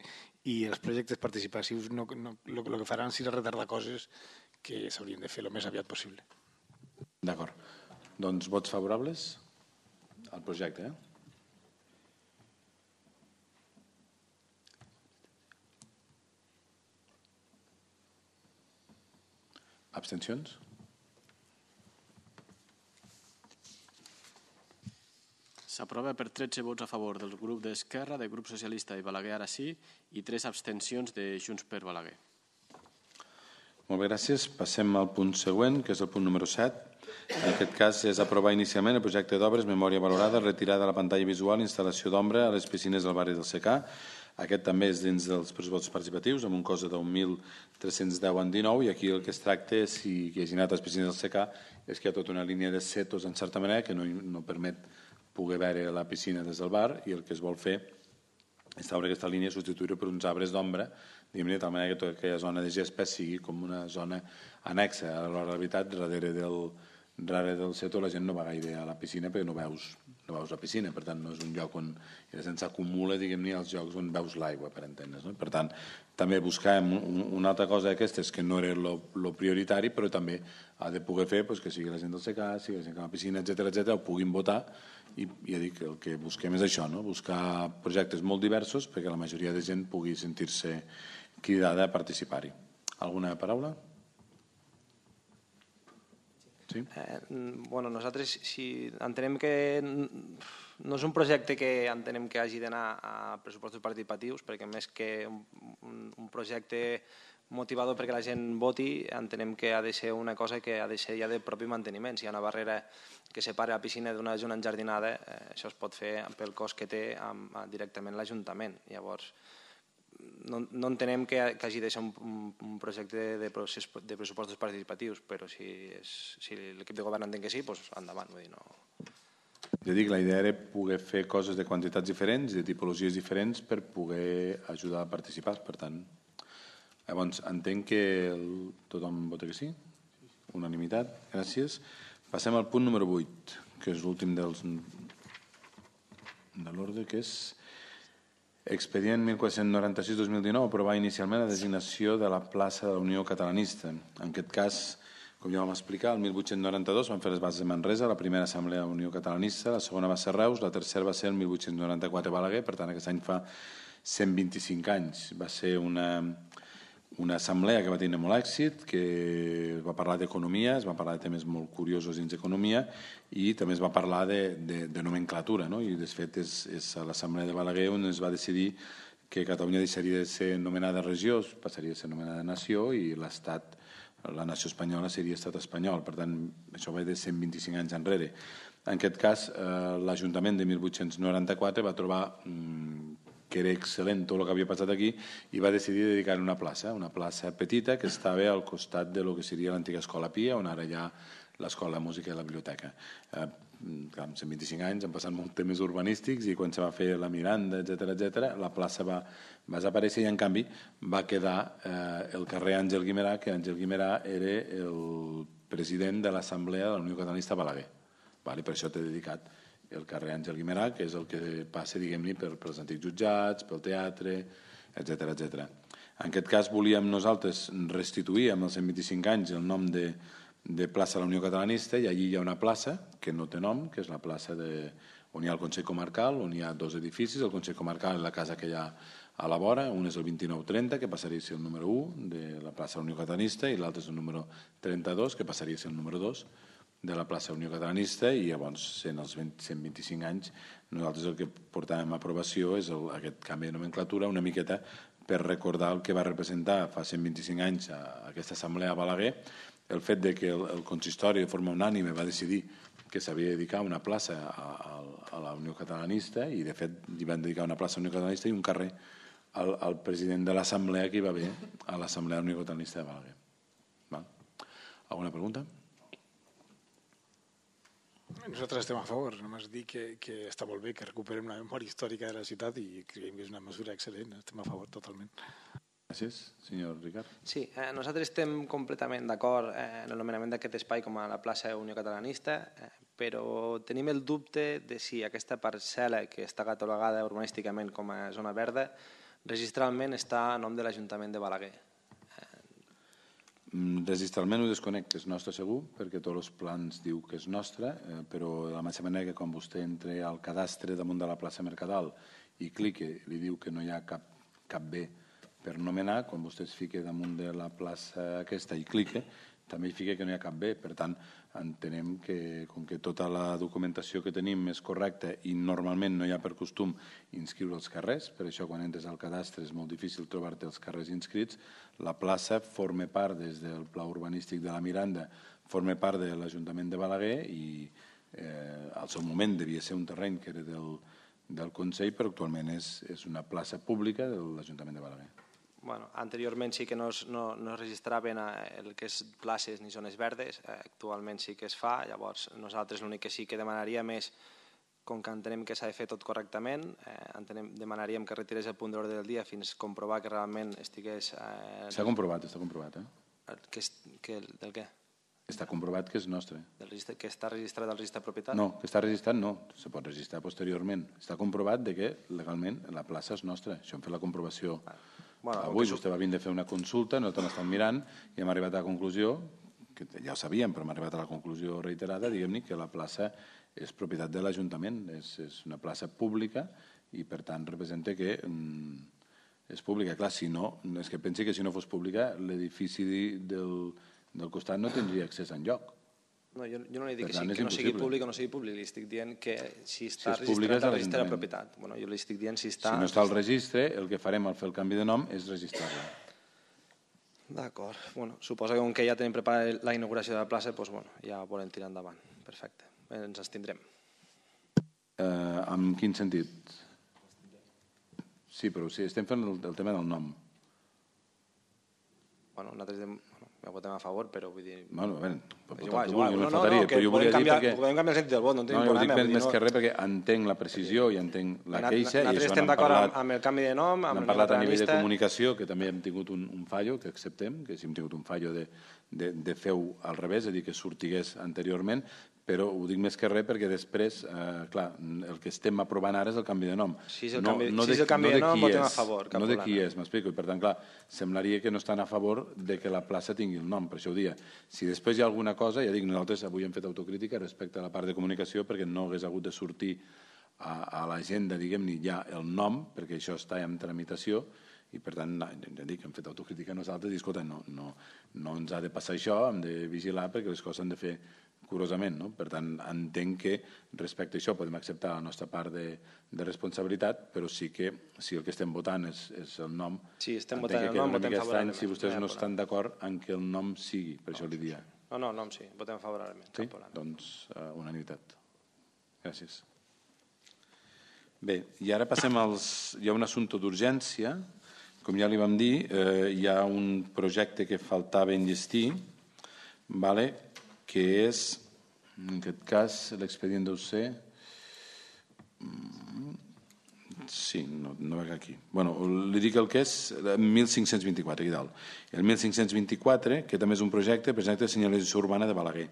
i els projectes participatius no, no, el, el que faran serà retardar coses que s'haurien de fer el més aviat possible. D'acord. Doncs vots favorables al projecte, eh? Abstencions? S'aprova per tretze vots a favor del grup d'Esquerra, del grup socialista i Balaguer ara sí, i tres abstencions de Junts per Balaguer. Molt bé, gràcies. Passem al punt següent, que és el punt número set. En aquest cas és aprovar inicialment el projecte d'obres, memòria valorada, retirada de la pantalla visual, instal·lació d'ombra a les piscines del barri del Secà. Aquest també és dins dels pressupostos participatius, amb un cost de deu mil tres-cents deu en dinou, i aquí el que es tracta, si qui hagi anat a les piscines del Secà, és que hi ha tota una línia de setos, en certa manera, que no, no permet poder veure la piscina des del bar, i el que es vol fer és treure aquesta línia i substituir-ho per uns arbres d'ombra, diguem-ne, de tal manera que tota aquella zona de gespa sigui com una zona anexa. A la realitat, darrere del, darrere del seto la gent no va gaire a la piscina perquè no veus, no veus la piscina, per tant no és un lloc on s'acumula, diguem-ne, els llocs on veus l'aigua, per entendre's, no? Per tant, també buscàvem una altra cosa d'aquestes que no era el prioritari, però també ha de poder fer pues, que sigui la gent del Secà, sigui la gent de la piscina, etcètera, etcètera, ho puguin votar, i ja dic, el que busquem és això, no? Buscar projectes molt diversos perquè la majoria de gent pugui sentir-se cridada a participar-hi. Alguna paraula? Sí? Eh, bueno, nosaltres si entenem que no és un projecte que entenem que hagi d'anar a pressupostos participatius, perquè més que un, un, un projecte motivador perquè la gent voti, entenem que ha de ser una cosa que ha de ser ja de propi manteniment. Si hi ha una barrera que separa la piscina d'una zona enjardinada, eh, això es pot fer pel cost que té amb, directament l'Ajuntament. Llavors, no, no entenem que, que hagi de ser un, un projecte de, procés, de pressupostos participatius, però si, és, si l'equip de govern entén que sí, doncs endavant. Vull dir, no... Ja dic, la idea era poder fer coses de quantitats diferents, de tipologies diferents, per poder ajudar a participar. Per tant, llavors, entenc que el, tothom vota que sí? Unanimitat, gràcies. Passem al punt número vuit, que és l'últim dels de l'ordre, que és expedient mil quatre-cents noranta-sis dos mil dinou, aprovar inicialment la designació de la plaça de la Unió Catalanista. En aquest cas, com ja vam explicar, el mil vuit-cents noranta-dos van fer les bases de Manresa, la primera assemblea de la Unió Catalanista, la segona va ser Reus, la tercera va ser el mil vuit-cents noranta-quatre Balaguer, per tant aquest any fa cent vint-i-cinc anys. Va ser una... una assemblea que va tenir molt èxit, que es va parlar d'economia, es va parlar de temes molt curiosos dins d'economia i també es va parlar de, de, de nomenclatura, no? I de fet és, és a l'assemblea de Balaguer on es va decidir que Catalunya deixaria de ser nomenada regió, passaria a ser nomenada nació i l'Estat, la nació espanyola seria estat espanyol. Per tant, això va de cent vint-i-cinc anys enrere. En aquest cas, eh, l'Ajuntament de mil vuit-cents noranta-quatre va trobar mmm, que era excel·lent tot el que havia passat aquí i va decidir dedicar-hi una plaça, una plaça petita que estava al costat de lo que seria l'antiga Escola Pia, on ara hi ha l'Escola de Música i la Biblioteca. Eh, clar, amb cent vint-i-cinc anys han passat molts temes urbanístics i quan se va fer la Miranda, etcètera, etcètera, la plaça va, va desaparèixer i en canvi va quedar eh, el carrer Àngel Guimerà, que Àngel Guimerà era el president de l'Assemblea de la Unió Catalanista Balaguer. Vale, per això t'he dedicat el carrer Àngel Guimerà, que és el que passa, diguem-ne, per, pels antics jutjats, pel teatre, etcètera, etcètera. En aquest cas volíem nosaltres restituir amb els cent vint-i-cinc anys el nom de, de plaça de la Unió Catalanista i allí hi ha una plaça que no té nom, que és la plaça de, on hi ha el Consell Comarcal, on hi ha dos edificis, el Consell Comarcal és la casa que hi ha a la vora, un és el vint-i-nou trenta, que passaria a ser el número u de la plaça de la Unió Catalanista, i l'altre és el número trenta-dos, que passaria a ser el número dos de la plaça Unió Catalanista, i llavors, sent els cent vint-i-cinc anys, nosaltres el que portàvem a aprovació és el, aquest canvi de nomenclatura, una miqueta per recordar el que va representar fa cent vint-i-cinc anys a aquesta assemblea a Balaguer, el fet de que el, el consistori de forma unànime va decidir que s'havia de dedicar una plaça a, a, a la Unió Catalanista, i de fet li van dedicar una plaça a la Unió Catalanista i un carrer al, al president de l'assemblea que hi va haver a l'assemblea de la Unió Catalanista de Balaguer. Val? Alguna pregunta? Nosaltres estem a favor, només dir que, que està molt bé que recuperem la memòria històrica de la ciutat i creiem que és una mesura excel·lent, estem a favor totalment. Gràcies, senyor Ricard. Sí, eh, nosaltres estem completament d'acord eh, en el nomenament d'aquest espai com a la plaça Unió Catalanista, eh, però tenim el dubte de si aquesta parcel·la que està catalogada urbanísticament com a zona verda registralment està a nom de l'Ajuntament de Balaguer. Registralment ho desconec, que és nostre segur, perquè tots els plans diu que és nostre, eh, però de la mateixa manera que quan vostè entra al cadastre damunt de la plaça Mercadal i clica, li diu que no hi ha cap, cap bé per nomenar, quan vostè es fica damunt de la plaça aquesta i clica, també hi fica que no hi ha cap bé. Per tant, entenem que, com que tota la documentació que tenim és correcta i normalment no hi ha per costum inscriure els carrers, per això quan entres al cadastre és molt difícil trobar-te els carrers inscrits, la plaça forma part des del pla urbanístic de la Miranda, forma part de l'Ajuntament de Balaguer i eh, al seu moment devia ser un terreny que era del, del Consell, però actualment és, és una plaça pública de l'Ajuntament de Balaguer. Bueno, anteriorment sí que no es, no, no es registraven el que és places ni zones verdes, eh, actualment sí que es fa, llavors nosaltres l'únic que sí que demanaríem és, com que entenem que s'ha de fer tot correctament, eh, entenem, demanaríem que retirés el punt d'ordre del dia fins a comprovar que realment estigués... Eh, S'ha comprovat, està comprovat, eh? Que, que, del què? Està comprovat que és nostre. Del registre, que està registrat al registre de propietat? No, que està registrat no, se pot registrar posteriorment. Està comprovat de que legalment la plaça és nostra. Això hem fet la comprovació. Bueno, avui vostè va vindre a fer una consulta, nosaltres l'estem mirant i hem arribat a la conclusió, que ja ho sabíem, però hem arribat a la conclusió reiterada, diguem-ne, que la plaça és propietat de l'Ajuntament, és, és una plaça pública i per tant representa que mm, és pública. Clar, si no, és que pensi que si no fos pública l'edifici del, del costat no tindria accés enlloc. No, jo, jo no li dic que, sí, que no sigui públic o no sigui públic, li estic dient que si està si registrat al registre de propietat. Bueno, jo li estic dient si està... Si no està al registre, el que farem al fer el canvi de nom és registrar-la. D'acord. Bueno, suposo que com que ja tenim preparada la inauguració de la plaça, doncs, bueno, ja volem tirar endavant. Perfecte. Ens abstindrem. Eh, en quin sentit? Sí, però sí, estem fent el, el tema del nom. Bueno, nosaltres dem... ja votem a favor, però vull dir... Bueno, a veure, pot és votar igual, el que igual. vulgui, No, no no, faltaria, no, que però jo volia dir canviar, perquè... podem canviar el sentit del vot, no en tenim No, jo problema. dic més no... que res perquè entenc la precisió i entenc la queixa. Nosaltres estem d'acord amb, amb el canvi de nom, amb hem el parlat a nivell de catalanista. comunicació, que també hem tingut un, un fallo, que acceptem, que si hem tingut un fallo de, de, de fer-ho al revés, és a dir, que sortigués anteriorment, però ho dic més que res perquè després, eh, clar, el que estem aprovant ara és el canvi de nom. Si és el no, canvi, no si de, és el canvi no de, de nom, votem és, a favor. No de qui és, m'explico. I per tant, clar, semblaria que no estan a favor de que la plaça tingui el nom, per això ho dia. Si després hi ha alguna cosa, ja dic, nosaltres avui hem fet autocrítica respecte a la part de comunicació perquè no hagués hagut de sortir a, a l'agenda, diguem-ne, ja el nom, perquè això està en tramitació, i per tant, ja dic, hem fet autocrítica nosaltres i, escolta, no, no, no ens ha de passar això, hem de vigilar perquè les coses s'han de fer curosament, no? Per tant, entenc que respecte a això podem acceptar la nostra part de, de responsabilitat, però sí que si el que estem votant és, és el nom, sí, estem entenc votant que el nom, una votem mica estrany favorablement. si vostès Ja, no estan d'acord en que el nom sigui, per això li dia. No, no, nom sí, votem favorablement. Sí? Doncs uh, unanimitat. Gràcies. Bé, i ara passem als... Hi ha un assumpte d'urgència. Com ja li vam dir, eh, hi ha un projecte que faltava enllestir, vale? Que és, en aquest cas, l'expedient deu ser... Sí, no, no veig aquí. Bueno, li dic el que és mil cinc-cents vint-i-quatre, aquí dalt. El mil cinc-cents vint-i-quatre, que també és un projecte, projecte de senyalització urbana de Balaguer.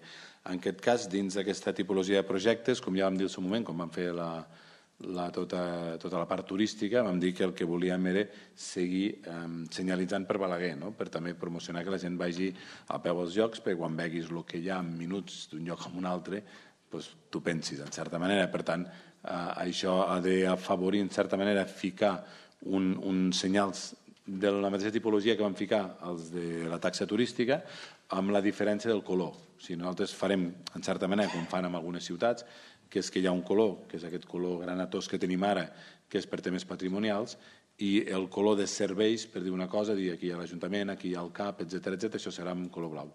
En aquest cas, dins d'aquesta tipologia de projectes, com ja vam dir al seu moment, com vam fer la, la, tota, tota la part turística, vam dir que el que volíem era seguir eh, senyalitzant per Balaguer, no? Per també promocionar que la gent vagi a peu als llocs, perquè quan veguis el que hi ha en minuts d'un lloc a un altre, doncs tu pensis, en certa manera. Per tant, eh, això ha d'afavorir, en certa manera, ficar un, un senyals de la mateixa tipologia que vam ficar els de la taxa turística, amb la diferència del color. O sigui, nosaltres farem, en certa manera, com fan en algunes ciutats, que és que hi ha un color, que és aquest color granatós que tenim ara, que és per temes patrimonials, i el color de serveis, per dir una cosa, dir aquí hi ha l'Ajuntament, aquí hi ha el C A P, etcètera, etcètera, això serà en color blau.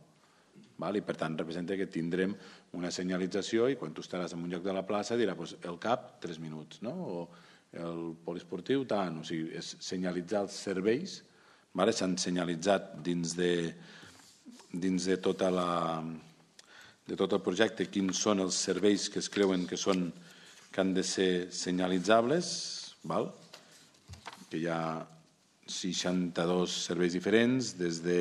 Val? I per tant representa que tindrem una senyalització i quan tu estaràs en un lloc de la plaça dirà doncs, el C A P, tres minuts, no? O el poliesportiu, tant. O sigui, és senyalitzar els serveis, vale? S'han senyalitzat dins de, dins de tota la... de tot el projecte, quins són els serveis que es creuen que, són, que han de ser senyalitzables, val? Que ja seixanta-dos serveis diferents, des de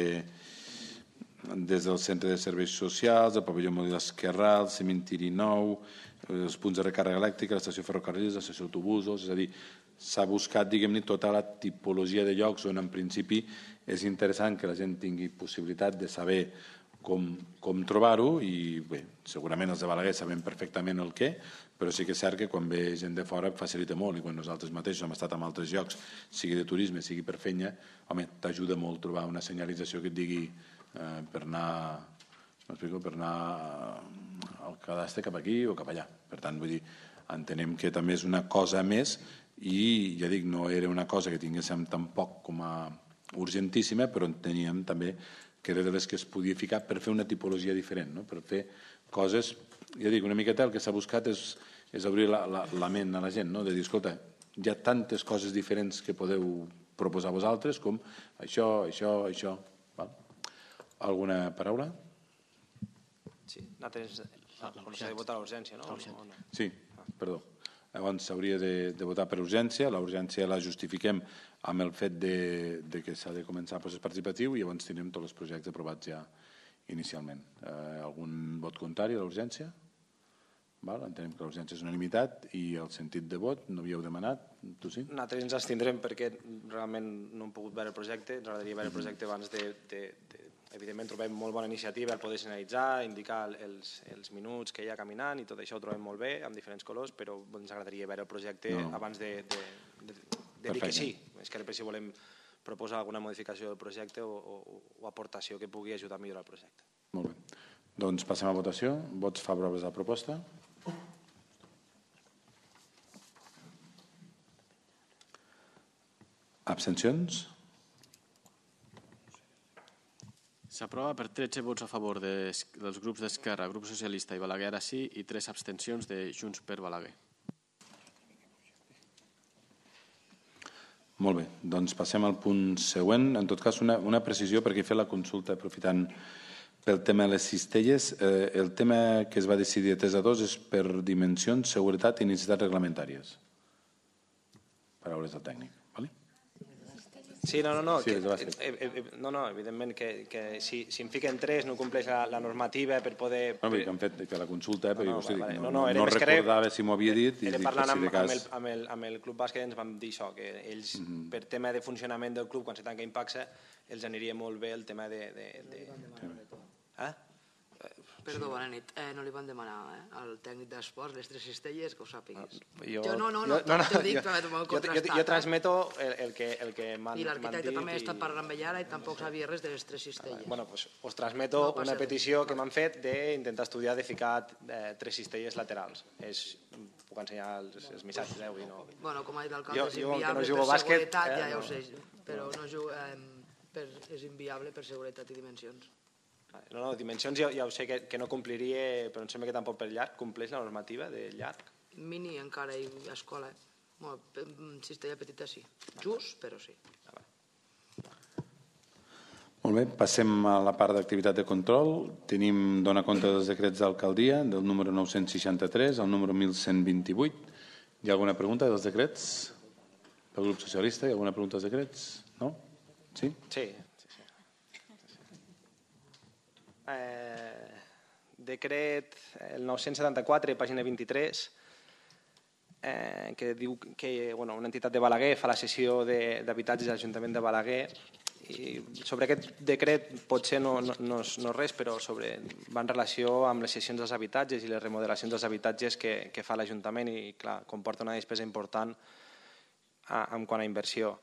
des del centre de serveis socials, el pavelló Molí d'Esquerral, el cementiri nou, els punts de recàrrega elèctrica, l'estació ferrocarrils, l'estació d'autobusos, és a dir, s'ha buscat, diguem-ne, tota la tipologia de llocs on en principi és interessant que la gent tingui possibilitat de saber com, com trobar-ho i bé, segurament els de Balaguer sabem perfectament el què, però sí que és cert que quan ve gent de fora facilita molt i quan nosaltres mateixos hem estat en altres llocs, sigui de turisme, sigui per feina, home, t'ajuda molt trobar una senyalització que et digui eh, per anar m'explico, per anar al cadastre cap aquí o cap allà. Per tant, vull dir, entenem que també és una cosa més i, ja dic, no era una cosa que tinguéssim tampoc com a urgentíssima, però enteníem també que era de les que es podia ficar per fer una tipologia diferent, no? Per fer coses, ja dic, una miqueta el que s'ha buscat és, és obrir la, la, la ment a la gent, no? De dir, escolta, hi ha tantes coses diferents que podeu proposar vosaltres com això, això, això. Val? Alguna paraula? Sí, nosaltres ah, s'ha de votar l'urgència, no? O no? Sí, perdó. Llavors s'hauria de, de votar per urgència, la urgència la justifiquem amb el fet de, de que s'ha de començar el procés participatiu i llavors tindrem tots els projectes aprovats ja inicialment. Eh, algun vot contrari a l'urgència? Val? Entenem que l'urgència és unanimitat i el sentit de vot no havíeu demanat, tu sí? Nosaltres ens abstindrem perquè realment no hem pogut veure el projecte, ens agradaria veure el projecte abans de, de, de evidentment trobem molt bona iniciativa el poder senyalitzar, indicar els, els minuts que hi ha caminant i tot això ho trobem molt bé, amb diferents colors, però ens agradaria veure el projecte no. abans de, de, de, de dir que sí. És que després si volem proposar alguna modificació del projecte o, o, o aportació que pugui ajudar a millorar el projecte. Molt bé. Doncs passem a votació. Vots favorables a la proposta? Abstencions? S'aprova per tretze vots a favor de, dels grups d'Esquerra, Grup Socialista i Balaguer ara sí i tres abstencions de Junts per Balaguer. Molt bé, doncs passem al punt següent. En tot cas, una, una precisió perquè he fet la consulta aprofitant pel tema de les cistelles. Eh, el tema que es va decidir de tres a dos és per dimensions, seguretat i necessitats reglamentàries. Paraules del tècnic. Sí, no, no, no, sí, que, eh, eh, no, no evidentment que, que si, si en fiquen tres no compleix la, la normativa per poder... No, perquè han fet que la consulta, eh, no, no, perquè vale, no, no, no, no recordava era, si m'ho havia dit. Era i parlant si amb, cas... amb, el, amb, el, amb el Club Bàsquet ens vam dir això, que ells, mm-hmm. per tema de funcionament del club, quan se tanca Impaxa, els aniria molt bé el tema de... de, de... Eh? Perdó, bona nit. Eh, no li van demanar eh, al tècnic d'esports les tres cistelles, que ho sàpiguis. Jo, jo no, no, no, jo, no, no t'ho dic, jo, però m'ho jo, jo, jo transmeto el, el que, el que m'han dit. I l'arquitecte també ha estat parlant amb ell ara i tampoc sabia res de les tres cistelles. Bueno, pues, us transmeto no una petició que m'han fet d'intentar estudiar de ficar eh, tres cistelles laterals. És, puc ensenyar els, els missatges, eh, avui no... Bueno, com ha dit l'alcalde, és jo, inviable no per bàsquet, seguretat, eh, ja, ja no. ho sé, però no jugo, eh, per, és inviable per seguretat i dimensions. No, no, dimensions ja, ja ho sé que, que no compliria, però em sembla que tampoc per llarg compleix la normativa de llarg. Mini encara i escola. Bueno, cistella petita sí. Just, però sí. Ah, Molt bé, passem a la part d'activitat de control. Tenim donar compte dels decrets d'alcaldia, del número nou-cents seixanta-tres al número mil cent vint-i-vuit. Hi ha alguna pregunta dels decrets? Pel grup socialista, hi ha alguna pregunta dels decrets? No? Sí? Sí. Eh, decret el nou-cents setanta-quatre, pàgina vint-i-tres, eh, que diu que bueno, una entitat de Balaguer fa la cessió d'habitatges a l'Ajuntament de Balaguer i sobre aquest decret potser no, no, no, és, no és res, però sobre, va en relació amb les cessions dels habitatges i les remodelacions dels habitatges que, que fa l'Ajuntament i clar, comporta una despesa important a, en quant a inversió.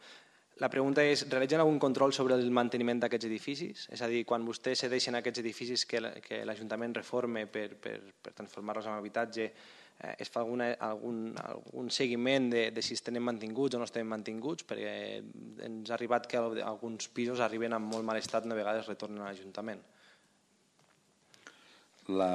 La pregunta és, realitzen algun control sobre el manteniment d'aquests edificis? És a dir, quan vostès cedeixen aquests edificis que l'Ajuntament reforme per, per, per transformar-los en habitatge, eh, es fa alguna, algun, algun seguiment de, de si estan mantinguts o no estan mantinguts? Perquè ens ha arribat que alguns pisos arriben en molt mal estat i una vegada es retornen a l'Ajuntament. La...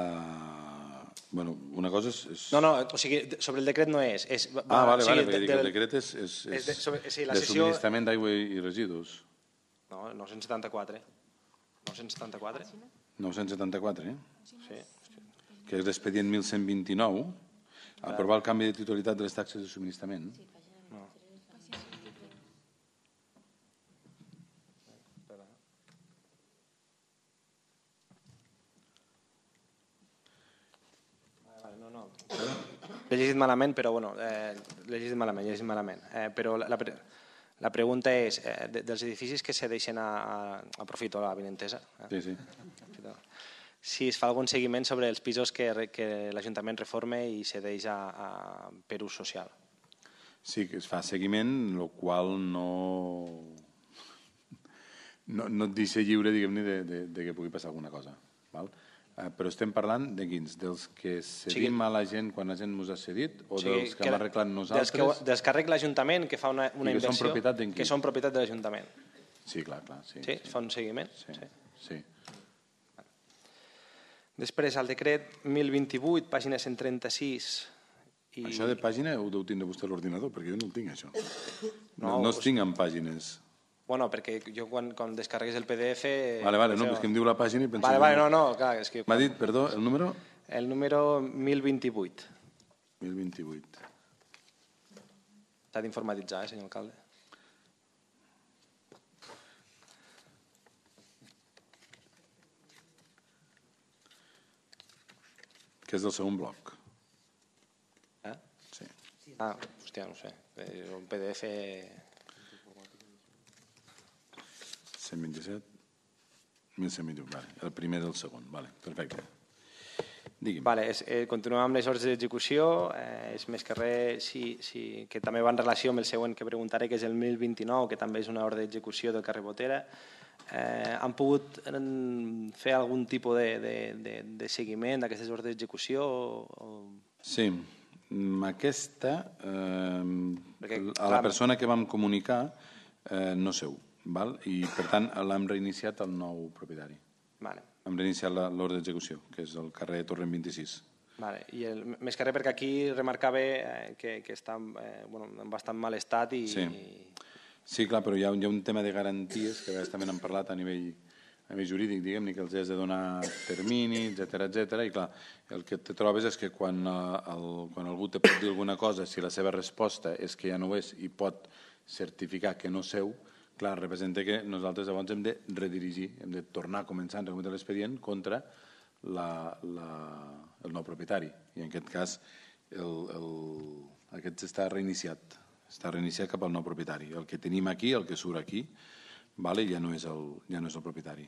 Bueno, una cosa és... és... No, no, o sigui, sobre el decret no és. és va, ah, vale, o sigui, vale, perquè del, el decret és, és, és, és de, sobre, sí, la de sessió... subministrament d'aigua i residus. No, nou-cents setanta-quatre. nou-cents setanta-quatre? nou-cents setanta-quatre, eh? Sí. Que és l'expedient mil cent vint-i-nou, aprovar el canvi de titularitat de les taxes de subministrament. No. L'he llegit malament, però bueno, eh, l'he llegit malament, l'he llegit malament. Eh, però la, la, la pregunta és, eh, de, dels edificis que se deixen a, a, aprofito la vinentesa, eh? Sí, sí. Si es fa algun seguiment sobre els pisos que, que l'Ajuntament reforma i cedeix a, a, per ús social. Sí, que es fa seguiment, el qual no, no, no et deixa lliure, diguem-ne, de, de, de que pugui passar alguna cosa. Val? Eh, però estem parlant de quins? Dels que cedim sí. a la gent quan la gent ens ha cedit o sí, dels que, que hem arreglat nosaltres? Dels que, dels que arregla l'Ajuntament, que fa una, una que inversió... Són propietat d'en qui? Que són propietat de l'Ajuntament. Sí, clar, clar. Sí, sí, sí. Fa un seguiment? Sí, sí. sí. Després, el decret mil vint-i-vuit, pàgina cent trenta-sis... I... Això de pàgina ho deu tindre vostè a l'ordinador, perquè jo no el tinc, això. No, no, no els us... tinc en pàgines. Bueno, perquè jo quan, quan descarregues el P D F... Vale, vale, no, és que em diu la pàgina i penso... Vale, vale, no, no, clar, és que... M'ha dit, perdó, el número? El número mil vint-i-vuit. mil vint-i-vuit. S'ha d'informatitzar, eh, senyor alcalde? Que és del segon bloc. Eh? Sí. Ah, hòstia, no sé. Un P D F... cent vint-i-set, mil cent vint-i-u, vale. El primer del segon, vale, perfecte. Digui'm. Vale, és, eh, continuem amb les ordres d'execució, eh, és més que res, sí, sí, que també va en relació amb el següent que preguntaré, que és el mil vint-i-nou, que també és una ordre d'execució del carrer Botera. Eh, han pogut fer algun tipus de, de, de, de seguiment d'aquestes ordres d'execució? O... Sí, aquesta, eh, Perquè, a la clar, persona que vam comunicar eh, no seu, val? I per tant l'hem reiniciat al nou propietari. Vale. Hem reiniciat l'ordre d'execució, que és el carrer Torrent vint-i-sis. Vale. I el, més que res perquè aquí remarcava eh, que, que està eh, bueno, en bastant mal estat i... Sí. Sí, clar, però hi ha, hi ha un tema de garanties que a vegades també n'hem parlat a nivell, a nivell jurídic, diguem-ne, que els has de donar termini, etcètera, etcètera, i clar, el que te trobes és que quan, el, quan algú te pot dir alguna cosa, si la seva resposta és que ja no ho és i pot certificar que no seu, clar, representa que nosaltres llavors hem de redirigir, hem de tornar a començar a recometre l'expedient contra la, la, el nou propietari. I en aquest cas el, el, aquest està reiniciat. Està reiniciat cap al nou propietari. El que tenim aquí, el que surt aquí, vale, ja, no és el, ja no és el propietari.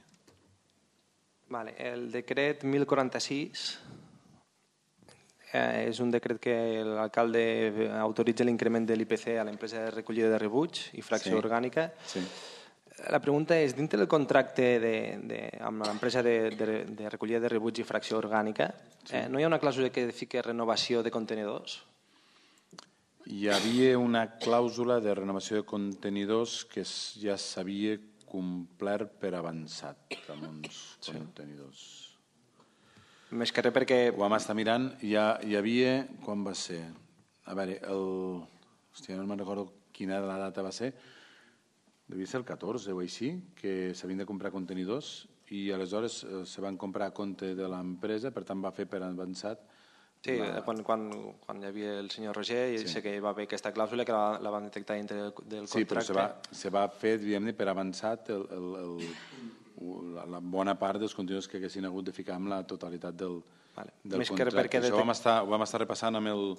Vale. El decret mil quaranta-sis eh, és un decret que l'alcalde autoritza l'increment de l'I P C a l'empresa de recollida de rebuig i fracció sí. orgànica. Sí. La pregunta és, dintre del contracte de, de, amb l'empresa de, de, de recollida de rebuig i fracció orgànica, sí. eh, no hi ha una clàusula que fiqui renovació de contenidors? Hi havia una clàusula de renovació de contenidors que ja s'havia complert per avançat amb uns sí. contenidors. Més que res perquè... Ho vam estar mirant, hi, ha, hi havia... Quan va ser? A veure, el... Hòstia, no me'n recordo quina la data va ser. Devia ser el catorze o així, que s'havien de comprar contenidors i aleshores eh, se van comprar a compte de l'empresa, per tant va fer per avançat. Sí, la... quan, quan, quan hi havia el senyor Roger, i sí. sé que hi va haver aquesta clàusula que la, la van detectar dintre del, del sí, contracte. Sí, però se va, se va fer, diguem-ne, per avançat el, el, el, la, la bona part dels contenidors que haguessin hagut de ficar amb la totalitat del, vale. del Més contracte. Que Això ho vam, estar, ho vam estar repassant amb el,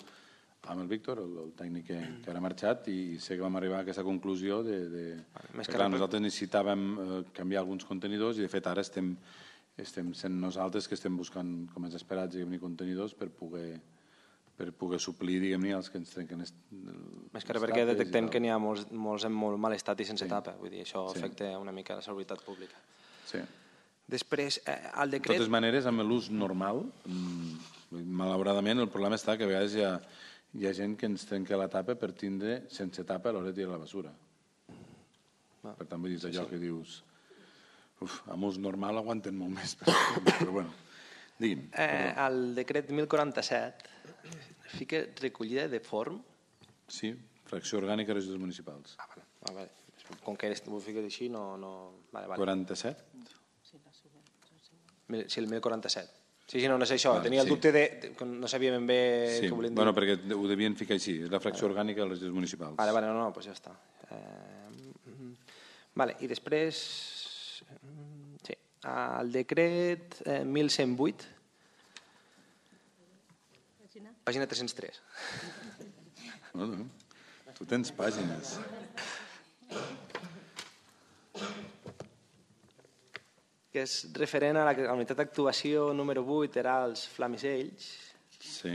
amb el Víctor, el, el tècnic que, que ara ha marxat, i sé que vam arribar a aquesta conclusió de, de vale. Més que, que clar, nosaltres necessitàvem eh, canviar alguns contenidors i de fet ara estem, estem sent nosaltres que estem buscant, com els esperats, diguem-ne, contenidors per poder per poder suplir, diguem-ne, els que ens trenquen els Més que res perquè detectem que n'hi ha molts, molts en molt mal estat i sense sí. tapa. Vull dir, això sí. afecta una mica la seguretat pública. Sí. Després, eh, el decret... De totes maneres, amb l'ús normal, mmm, malauradament, el problema està que a vegades hi ha, hi ha gent que ens trenca la tapa per tindre sense tapa a l'hora de tirar la basura. Ah. Per tant, vull dir, és allò sí, sí. que dius... Uf, amb ús normal aguanten molt més, però, però bueno... Digui'm. Eh, el decret mil quaranta-set fica recollida de forn? Sí, fracció orgànica de residus municipals. Ah, vale. Ah, vale. Com que ho fiques així, no... no... Vale, vale. quaranta-set? Sí, el mil quaranta-set. Sí, sí, no, no sé això. Vale, Tenia el sí. dubte de... de no sabia ben bé sí. què volien dir. Bueno, perquè ho devien ficar així. És la fracció vale. orgànica dels residus municipals. Vale, vale, no, no, doncs ja està. Eh... Vale, i després... Sí. El decret eh, mil cent vuit. Pàgina tres-cents tres. No, no. Tu tens pàgines. Que és referent a la, a la unitat d'actuació número vuit, era els Flamisells, Sí.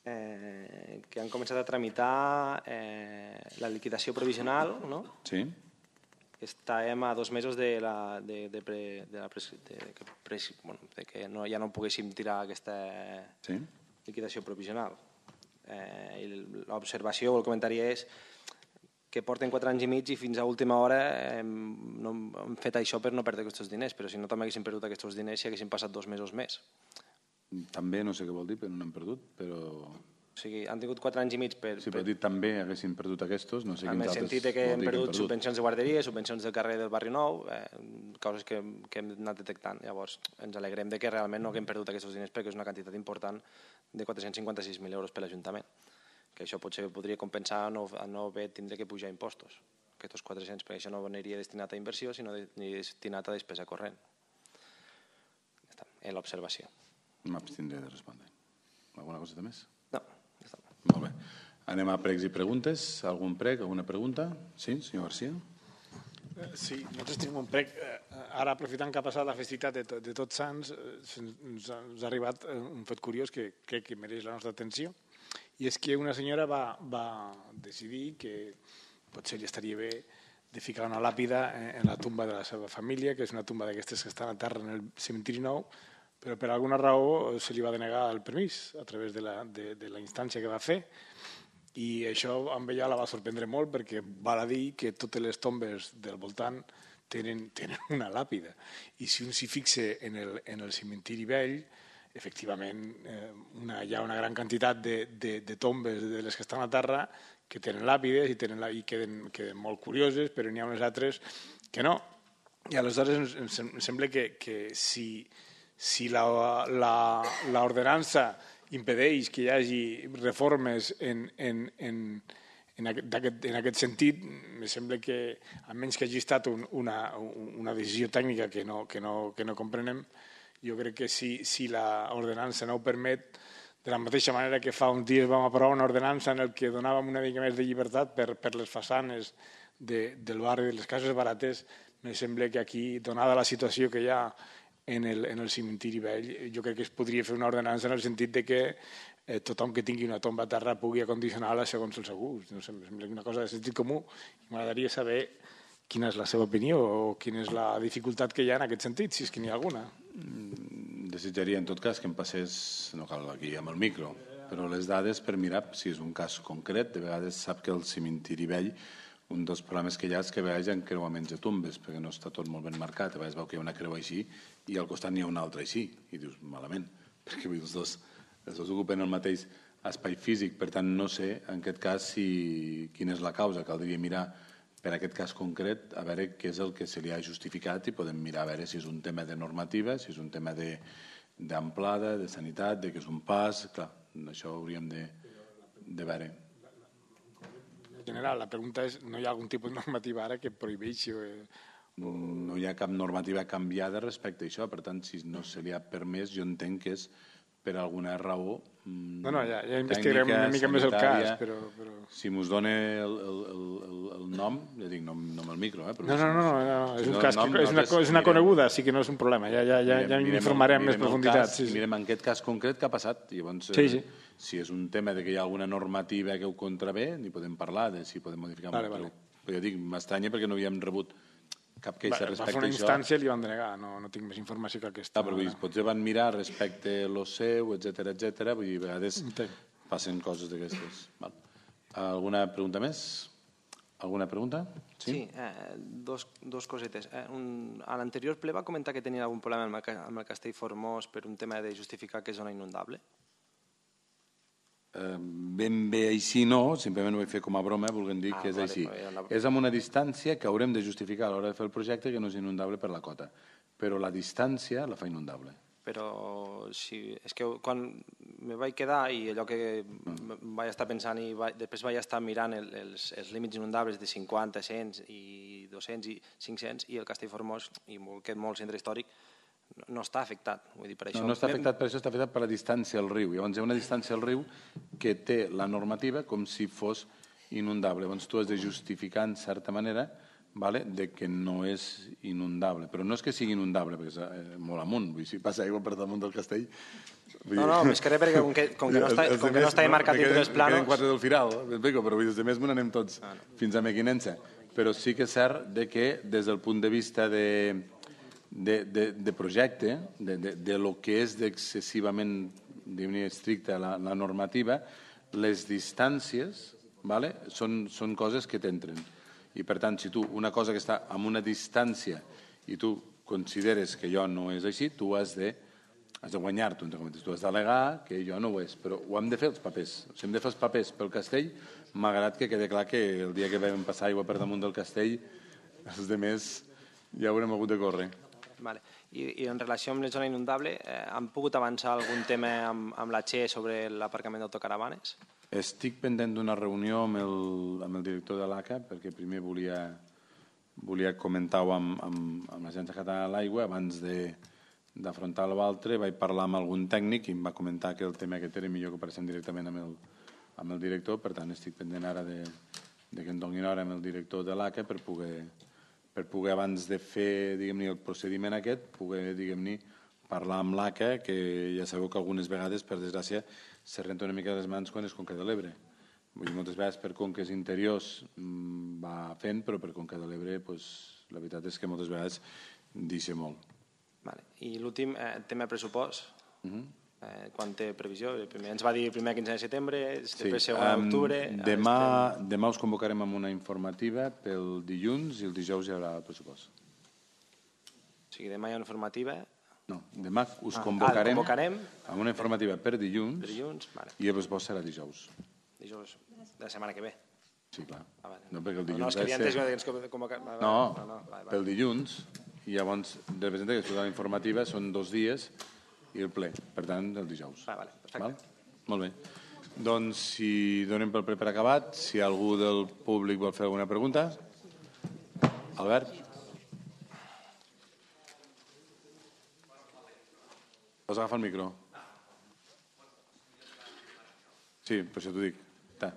eh, que han començat a tramitar eh, la liquidació provisional, no? Sí. Estàvem a dos mesos de, la, de, de, pre, de, la pres, de, que, pres, bueno, de que no, ja no poguéssim tirar aquesta Sí. liquidació provisional. Eh, i l'observació o el comentari és que porten quatre anys i mig i fins a última hora hem, no, hem fet això per no perdre aquests diners, però si no també haguéssim perdut aquests diners si haguéssim passat dos mesos més. També no sé què vol dir, però no n'hem perdut, però... O sigui, han tingut quatre anys i mig per... Si per dir també haguéssim perdut aquests, no sé en quins el altres... sentit de que vol hem dir perdut subvencions de guarderia, subvencions del carrer del Barri Nou, eh, coses que, que hem anat detectant. Llavors, ens alegrem de que realment no haguem perdut aquests diners perquè és una quantitat important de quatre-cents cinquanta-sis mil euros per l'Ajuntament, que això potser podria compensar no, a no haver tindre que pujar impostos, aquests quatre-cents, perquè això no aniria destinat a inversió, sinó aniria destinat a despesa corrent. Ja està, en l'observació. M'abstindré de respondre. Alguna cosa més? No, ja està. Molt bé. Anem a pregs i preguntes. Algun preg, alguna pregunta? Sí, senyor García? Sí, nosaltres tenim un prec. Ara, aprofitant que ha passat la festivitat de, de Tots Sants, ens ha, ens ha arribat un fet curiós que crec que mereix la nostra atenció, i és que una senyora va, va decidir que potser li estaria bé de ficar una làpida en la tumba de la seva família, que és una tumba d'aquestes que estan a terra en el cementiri nou, però per alguna raó se li va denegar el permís a través de la, de, de la instància que va fer, i això amb ella la va sorprendre molt perquè val a dir que totes les tombes del voltant tenen, tenen una làpida, i si un s'hi fixa en el, en el cementiri vell, efectivament eh, una, hi ha una gran quantitat de, de, de tombes de les que estan a terra que tenen làpides i, tenen, i queden, queden molt curioses, però n'hi ha unes altres que no. I aleshores em, em sembla que, que si, si l'ordenança impedeix que hi hagi reformes en, en, en, en, aquest, en aquest sentit, em sembla que, a menys que hagi estat un, una, una decisió tècnica que no, que no, que no comprenem, jo crec que si, si l'ordenança no ho permet, de la mateixa manera que fa uns dies vam aprovar una ordenança en el que donàvem una mica més de llibertat per, per les façanes de, del barri de les cases barates, em sembla que aquí, donada la situació que hi ha en el, en el cementiri vell, jo crec que es podria fer una ordenança en el sentit de que eh, tothom que tingui una tomba a terra pugui acondicionar-la segons el seu gust. No sé, em sembla una cosa de sentit comú. M'agradaria saber quina és la seva opinió o quina és la dificultat que hi ha en aquest sentit, si és que n'hi ha alguna. Desitjaria, en tot cas, que em passés, no cal aquí amb el micro, però les dades per mirar si és un cas concret. De vegades sap que el cementiri vell, un dels problemes que hi ha és que a vegades hi ha encreuaments de tombes, perquè no està tot molt ben marcat. A vegades veu que hi ha una creu així i al costat n'hi ha una altra així, i dius, malament, perquè els dos, els dos ocupen el mateix espai físic. Per tant, no sé, en aquest cas, si, quina és la causa. Caldria mirar per aquest cas concret, a veure què és el que se li ha justificat i podem mirar a veure si és un tema de normativa, si és un tema d'amplada, de, de sanitat, de que és un pas... Clar, això hauríem de, de veure. En general, la pregunta és, no hi ha algun tipus de normativa ara que prohibeixi... No hi ha cap normativa canviada respecte a això, per tant, si no se li ha permès, jo entenc que és per alguna raó no, no, ja, ja investigarem una mica més el cas, però... però... Si mos dona el, el, el, el nom, ja dic, no, no amb el micro, eh? Però no, no, no, no, no, és, un no, cas, nom, és, una, és una coneguda, sí que no és un problema, ja, ja, ja, ja informarem més profunditat. Cas, sí, sí. Mirem en aquest cas concret què ha passat, i llavors, sí, sí. si és un tema de que hi ha alguna normativa que ho contravé, n'hi podem parlar, de si podem modificar. Vale, vale. Però, però ja dic, m'estranya perquè no havíem rebut cap queixa va, respecte a això. Va fer una instància i li van denegar, no, no tinc més informació que aquesta. Ah, però vull dir, potser van mirar respecte a lo seu, etcètera, etcètera, vull dir, a vegades passen coses d'aquestes. Alguna pregunta més? Alguna pregunta? Sí, sí eh, dos, dos cosetes. Eh, un, a l'anterior ple va comentar que tenia algun problema amb el, amb el Castell Formós per un tema de justificar que és zona inundable? Eh, ben bé així no, simplement ho vaig fer com a broma, volguem dir ah, que és vale, així. La... És amb una distància que haurem de justificar a l'hora de fer el projecte que no és inundable per la cota, però la distància la fa inundable. Però si, és que quan me vaig quedar i allò que mm. vaig estar pensant i vaig, després vaig estar mirant el, els, els límits inundables de cinquanta, cent i dos-cents i cinc-cents i el Castell Formós i molt, aquest molt centre històric no està afectat. Vull dir, per això... No, no està afectat per això, està afectat per la distància al riu. Llavors hi ha una distància al riu que té la normativa com si fos inundable. Llavors tu has de justificar, en certa manera, vale, de que no és inundable. Però no és que sigui inundable, perquè és eh, molt amunt. Vull dir, si passa aigua per damunt del castell... Vull no, no, més que res, perquè com que, com que no està, com que no està marcat entre els planos... Me queden quatre del Firal, però vull dir, de més me n'anem tots ah, no. fins a Mequinensa. Però sí que és cert de que, des del punt de vista de, de, de, de projecte, de, de, de lo que és d'excessivament estricta la, la normativa, les distàncies, vale, són, són coses que t'entren. I, per tant, si tu, una cosa que està a una distància i tu consideres que allò no és així, tu has de, has de guanyar-t'ho, entre cometes. Tu has d'al·legar que allò no ho és, però ho hem de fer els papers. O sigui, hem de fer els papers pel castell, malgrat que quede clar que el dia que vam passar aigua per damunt del castell, els demés ja haurem hagut de córrer. Vale. I, I en relació amb la zona inundable, eh, han pogut avançar algun tema amb, amb la Che sobre l'aparcament d'autocaravanes? Estic pendent d'una reunió amb el, amb el director de l'A C A, perquè primer volia, volia comentar-ho amb, amb, amb l'Agència Catalana de l'Aigua abans de, d'afrontar l'altre. Vaig parlar amb algun tècnic i em va comentar que el tema aquest era millor que apareixem directament amb el, amb el director, per tant estic pendent ara de, de que em donin hora amb el director de l'A C A per poder, per poder abans de fer, diguem-ne, el procediment aquest, poder, diguem-ne, parlar amb l'A C A, que ja sabeu que algunes vegades, per desgràcia, se renta una mica les mans quan és Conca de l'Ebre. Vull dir, moltes vegades per conques interiors mmm, va fent, però per Conca de l'Ebre, pues, la veritat és que moltes vegades deixa molt. Vale. I l'últim, eh, tema pressupost. Uh-huh. Eh, quan té previsió? Primer, ens va dir el primer quinze de setembre, després sí. segon d'octubre... Um, demà, estem... demà us convocarem amb una informativa pel dilluns i el dijous hi haurà el pressupost. O sigui, demà hi ha una informativa... No, demà us ah, convocarem, ah, convocarem amb una informativa per dilluns, per dilluns vale. I el pressupost serà dijous. Dijous de la setmana que ve? Sí, clar. Ah, vale. No, perquè el dilluns... No, és que havia entès que ens convocar... No, no, no vale, vale. Pel dilluns, i llavors representa que després de la informativa són dos dies i el ple, per tant, el dijous. Ah, vale, perfecte. Val? Molt bé. Doncs, si donem pel ple per acabat, si algú del públic vol fer alguna pregunta. Albert? Pots agafar el micro? Sí, per això t'ho dic. Ta.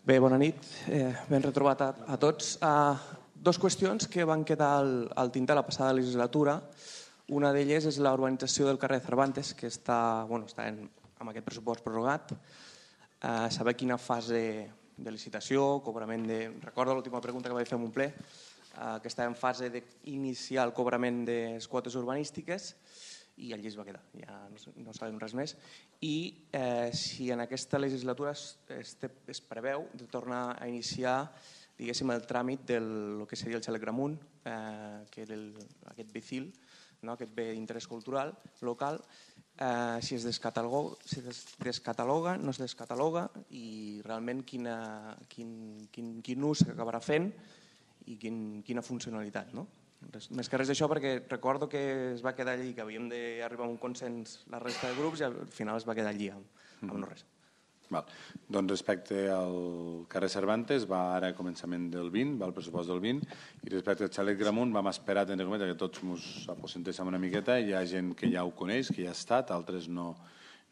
Bé, bona nit. Eh, ben retrobat a, a tots. Uh, dos qüestions que van quedar al, al tinter la passada legislatura. Una d'elles és la urbanització del carrer Cervantes, que està, bueno, està en, amb aquest pressupost prorrogat. Uh, saber quina fase de licitació, cobrament de... Recordo l'última pregunta que vaig fer en un ple, uh, que estava en fase d'iniciar el cobrament de les quotes urbanístiques, i allí es va quedar, ja no, no sabem res més. I eh, si en aquesta legislatura es, es, es preveu de tornar a iniciar, diguéssim, el tràmit del que seria el xalec Gramunt, eh, que era el, aquest B C I L, no? Aquest bé d'interès cultural local, eh, si es descataloga, si es descataloga, no es descataloga, i realment quina, quin, quin, quin ús s'acabarà fent i quin, quina funcionalitat, no? Res, més que res d'això, perquè recordo que es va quedar allí, que havíem d'arribar a un consens la resta de grups, i al final es va quedar allí amb, amb no res. Val. Doncs respecte al carrer Cervantes, va ara a començament del vint, va al pressupost del vint, i respecte al xalec Gramunt vam esperar que tots ens aposentéssim una miqueta. Hi ha gent que ja ho coneix, que ja ha estat, altres no,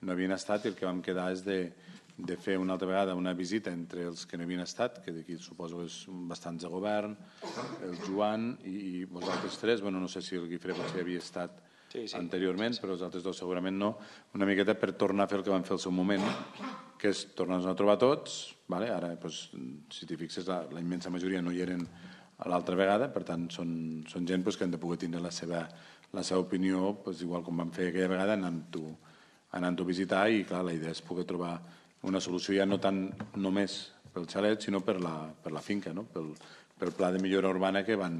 no havien estat, i el que vam quedar és de, de fer una altra vegada una visita entre els que no havien estat, que d'aquí suposo que és bastants de govern, el Joan i, i vosaltres tres, bueno, no sé si el Guifré potser havia estat sí, sí. anteriorment, però els altres dos segurament no, una miqueta per tornar a fer el que vam fer al seu moment, que és tornar-nos a trobar tots, vale? Ara, doncs, si t'hi fixes, la, la immensa majoria no hi eren a l'altra vegada, per tant, són, són gent doncs, que han de poder tindre la seva, la seva opinió, doncs, igual com vam fer aquella vegada, anant-ho anant a visitar, i clar, la idea és poder trobar una solució ja no tant només pel xalet, sinó per la, per la finca, no? pel, pel pla de millora urbana que van,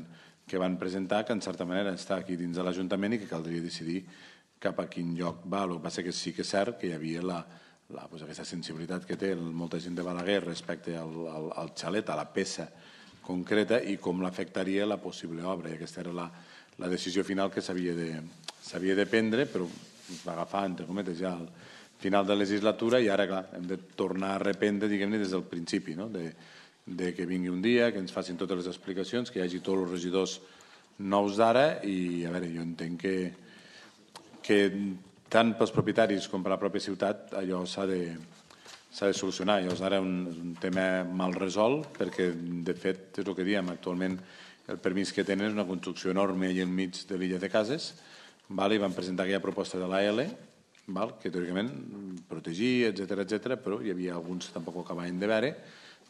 que van presentar, que en certa manera està aquí dins de l'Ajuntament i que caldria decidir cap a quin lloc va. El que passa que sí que és cert que hi havia la, la, doncs aquesta sensibilitat que té molta gent de Balaguer respecte al, al, al xalet, a la peça concreta, i com l'afectaria la possible obra. I aquesta era la, la decisió final que s'havia de, s'havia de prendre, però es va agafar, entre cometes, ja el, final de legislatura i ara, clar, hem de tornar a reprendre, diguem-ne, des del principi, no? de, de que vingui un dia, que ens facin totes les explicacions, que hi hagi tots els regidors nous d'ara i, a veure, jo entenc que, que tant pels propietaris com per la pròpia ciutat allò s'ha de, s'ha de solucionar. Llavors ara un, és un tema mal resolt perquè, de fet, és el que diem, actualment el permís que tenen és una construcció enorme allà enmig de l'illa de Cases, val? I van presentar aquella proposta de l'A L, val? Que teòricament protegia, etcètera, etcètera, però hi havia alguns que tampoc ho acabaven de veure.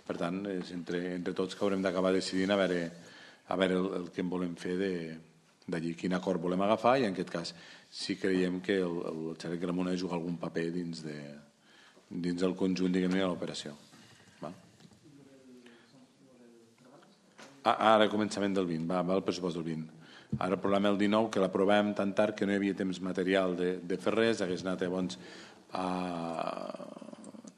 Per tant, és entre, entre tots que haurem d'acabar decidint a veure, a veure el, el que en volem fer d'allí, quin acord volem agafar, i en aquest cas sí creiem que el, el Xalet Gramona juga algun paper dins, de, dins del conjunt, diguem-ne, de l'operació. Ah, ara, començament del vint, va, va el pressupost del vint. Ara el problema el dinou, que l'aprovem tan tard que no hi havia temps material de, de fer res, hagués anat llavors a,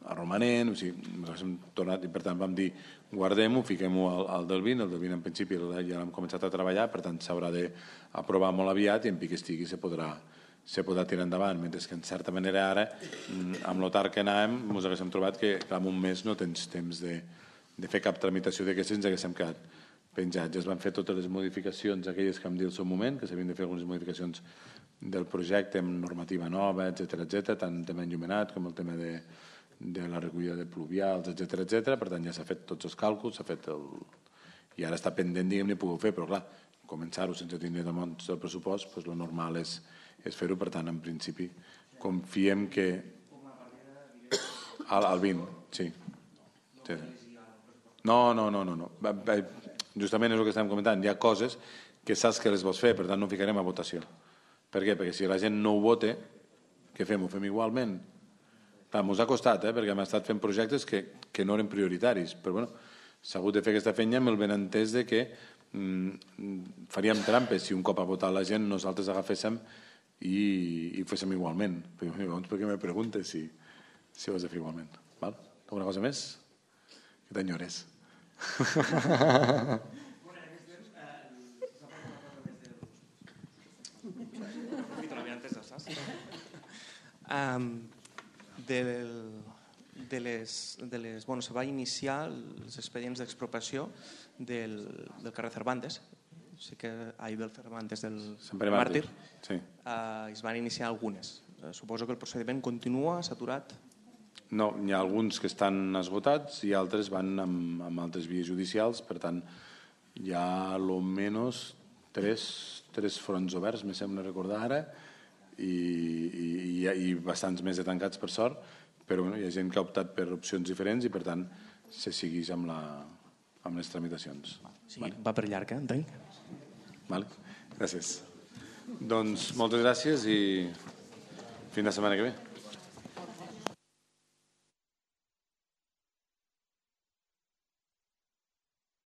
a romanent, o sigui, ens hem tornat, i per tant vam dir, guardem-ho, fiquem-ho al, al del vint, el del vint en principi ja l'hem començat a treballar, per tant s'haurà d'aprovar molt aviat i en pic estigui se podrà, se podrà tirar endavant, mentre que en certa manera ara, amb lo tard que anàvem, ens haguéssim trobat que en un mes no tens temps de, de fer cap tramitació d'aquestes, ens haguéssim quedat penjats. Ja es van fer totes les modificacions, aquelles que vam dir al seu moment, que s'havien de fer algunes modificacions del projecte amb normativa nova, etcètera, etcètera, tant el tema enllumenat com el tema de, de la recollida de pluvials, etcètera, etcètera. Per tant, ja s'ha fet tots els càlculs, s'ha fet el... i ara està pendent, diguem-ne, poder fer, però clar, començar-ho sense tindre damunt el pressupost, doncs el normal és, és fer-ho, per tant, en principi, confiem que... Al, al vint, sí. sí. No, no, no, no. no. Justament és el que estem comentant. Hi ha coses que saps que les vols fer, per tant no ficarem a votació. Per què? Perquè si la gent no ho vota, què fem? Ho fem igualment? Clar, mos ha costat, eh? Perquè hem estat fent projectes que, que no eren prioritaris. Però bueno, s'ha hagut de fer aquesta feina amb el benentès de que mm, faríem trampes si un cop ha votat la gent nosaltres agaféssim i, i ho féssim igualment. Però llavors, per què me preguntes si, si ho has de fer igualment? Val? Alguna cosa més? Que t'enyores. um, del, de les, de les, bueno, se va iniciar els expedients d'expropiació del, del carrer Cervantes, sí que ahir del Cervantes del Màrtir, sí. uh, es van iniciar algunes. Uh, suposo que el procediment continua, s'ha aturat. No, hi ha alguns que estan esgotats i altres van amb, amb altres vies judicials, per tant hi ha almenys tres, tres fronts oberts, me sembla recordar ara, i, i, i, i bastants més de tancats per sort, però bueno, hi ha gent que ha optat per opcions diferents i per tant se segueix amb, la, amb les tramitacions. Sí, vale. Va per llarg, eh? Entenc. Vale. Gràcies. Doncs moltes gràcies i fins la setmana que ve.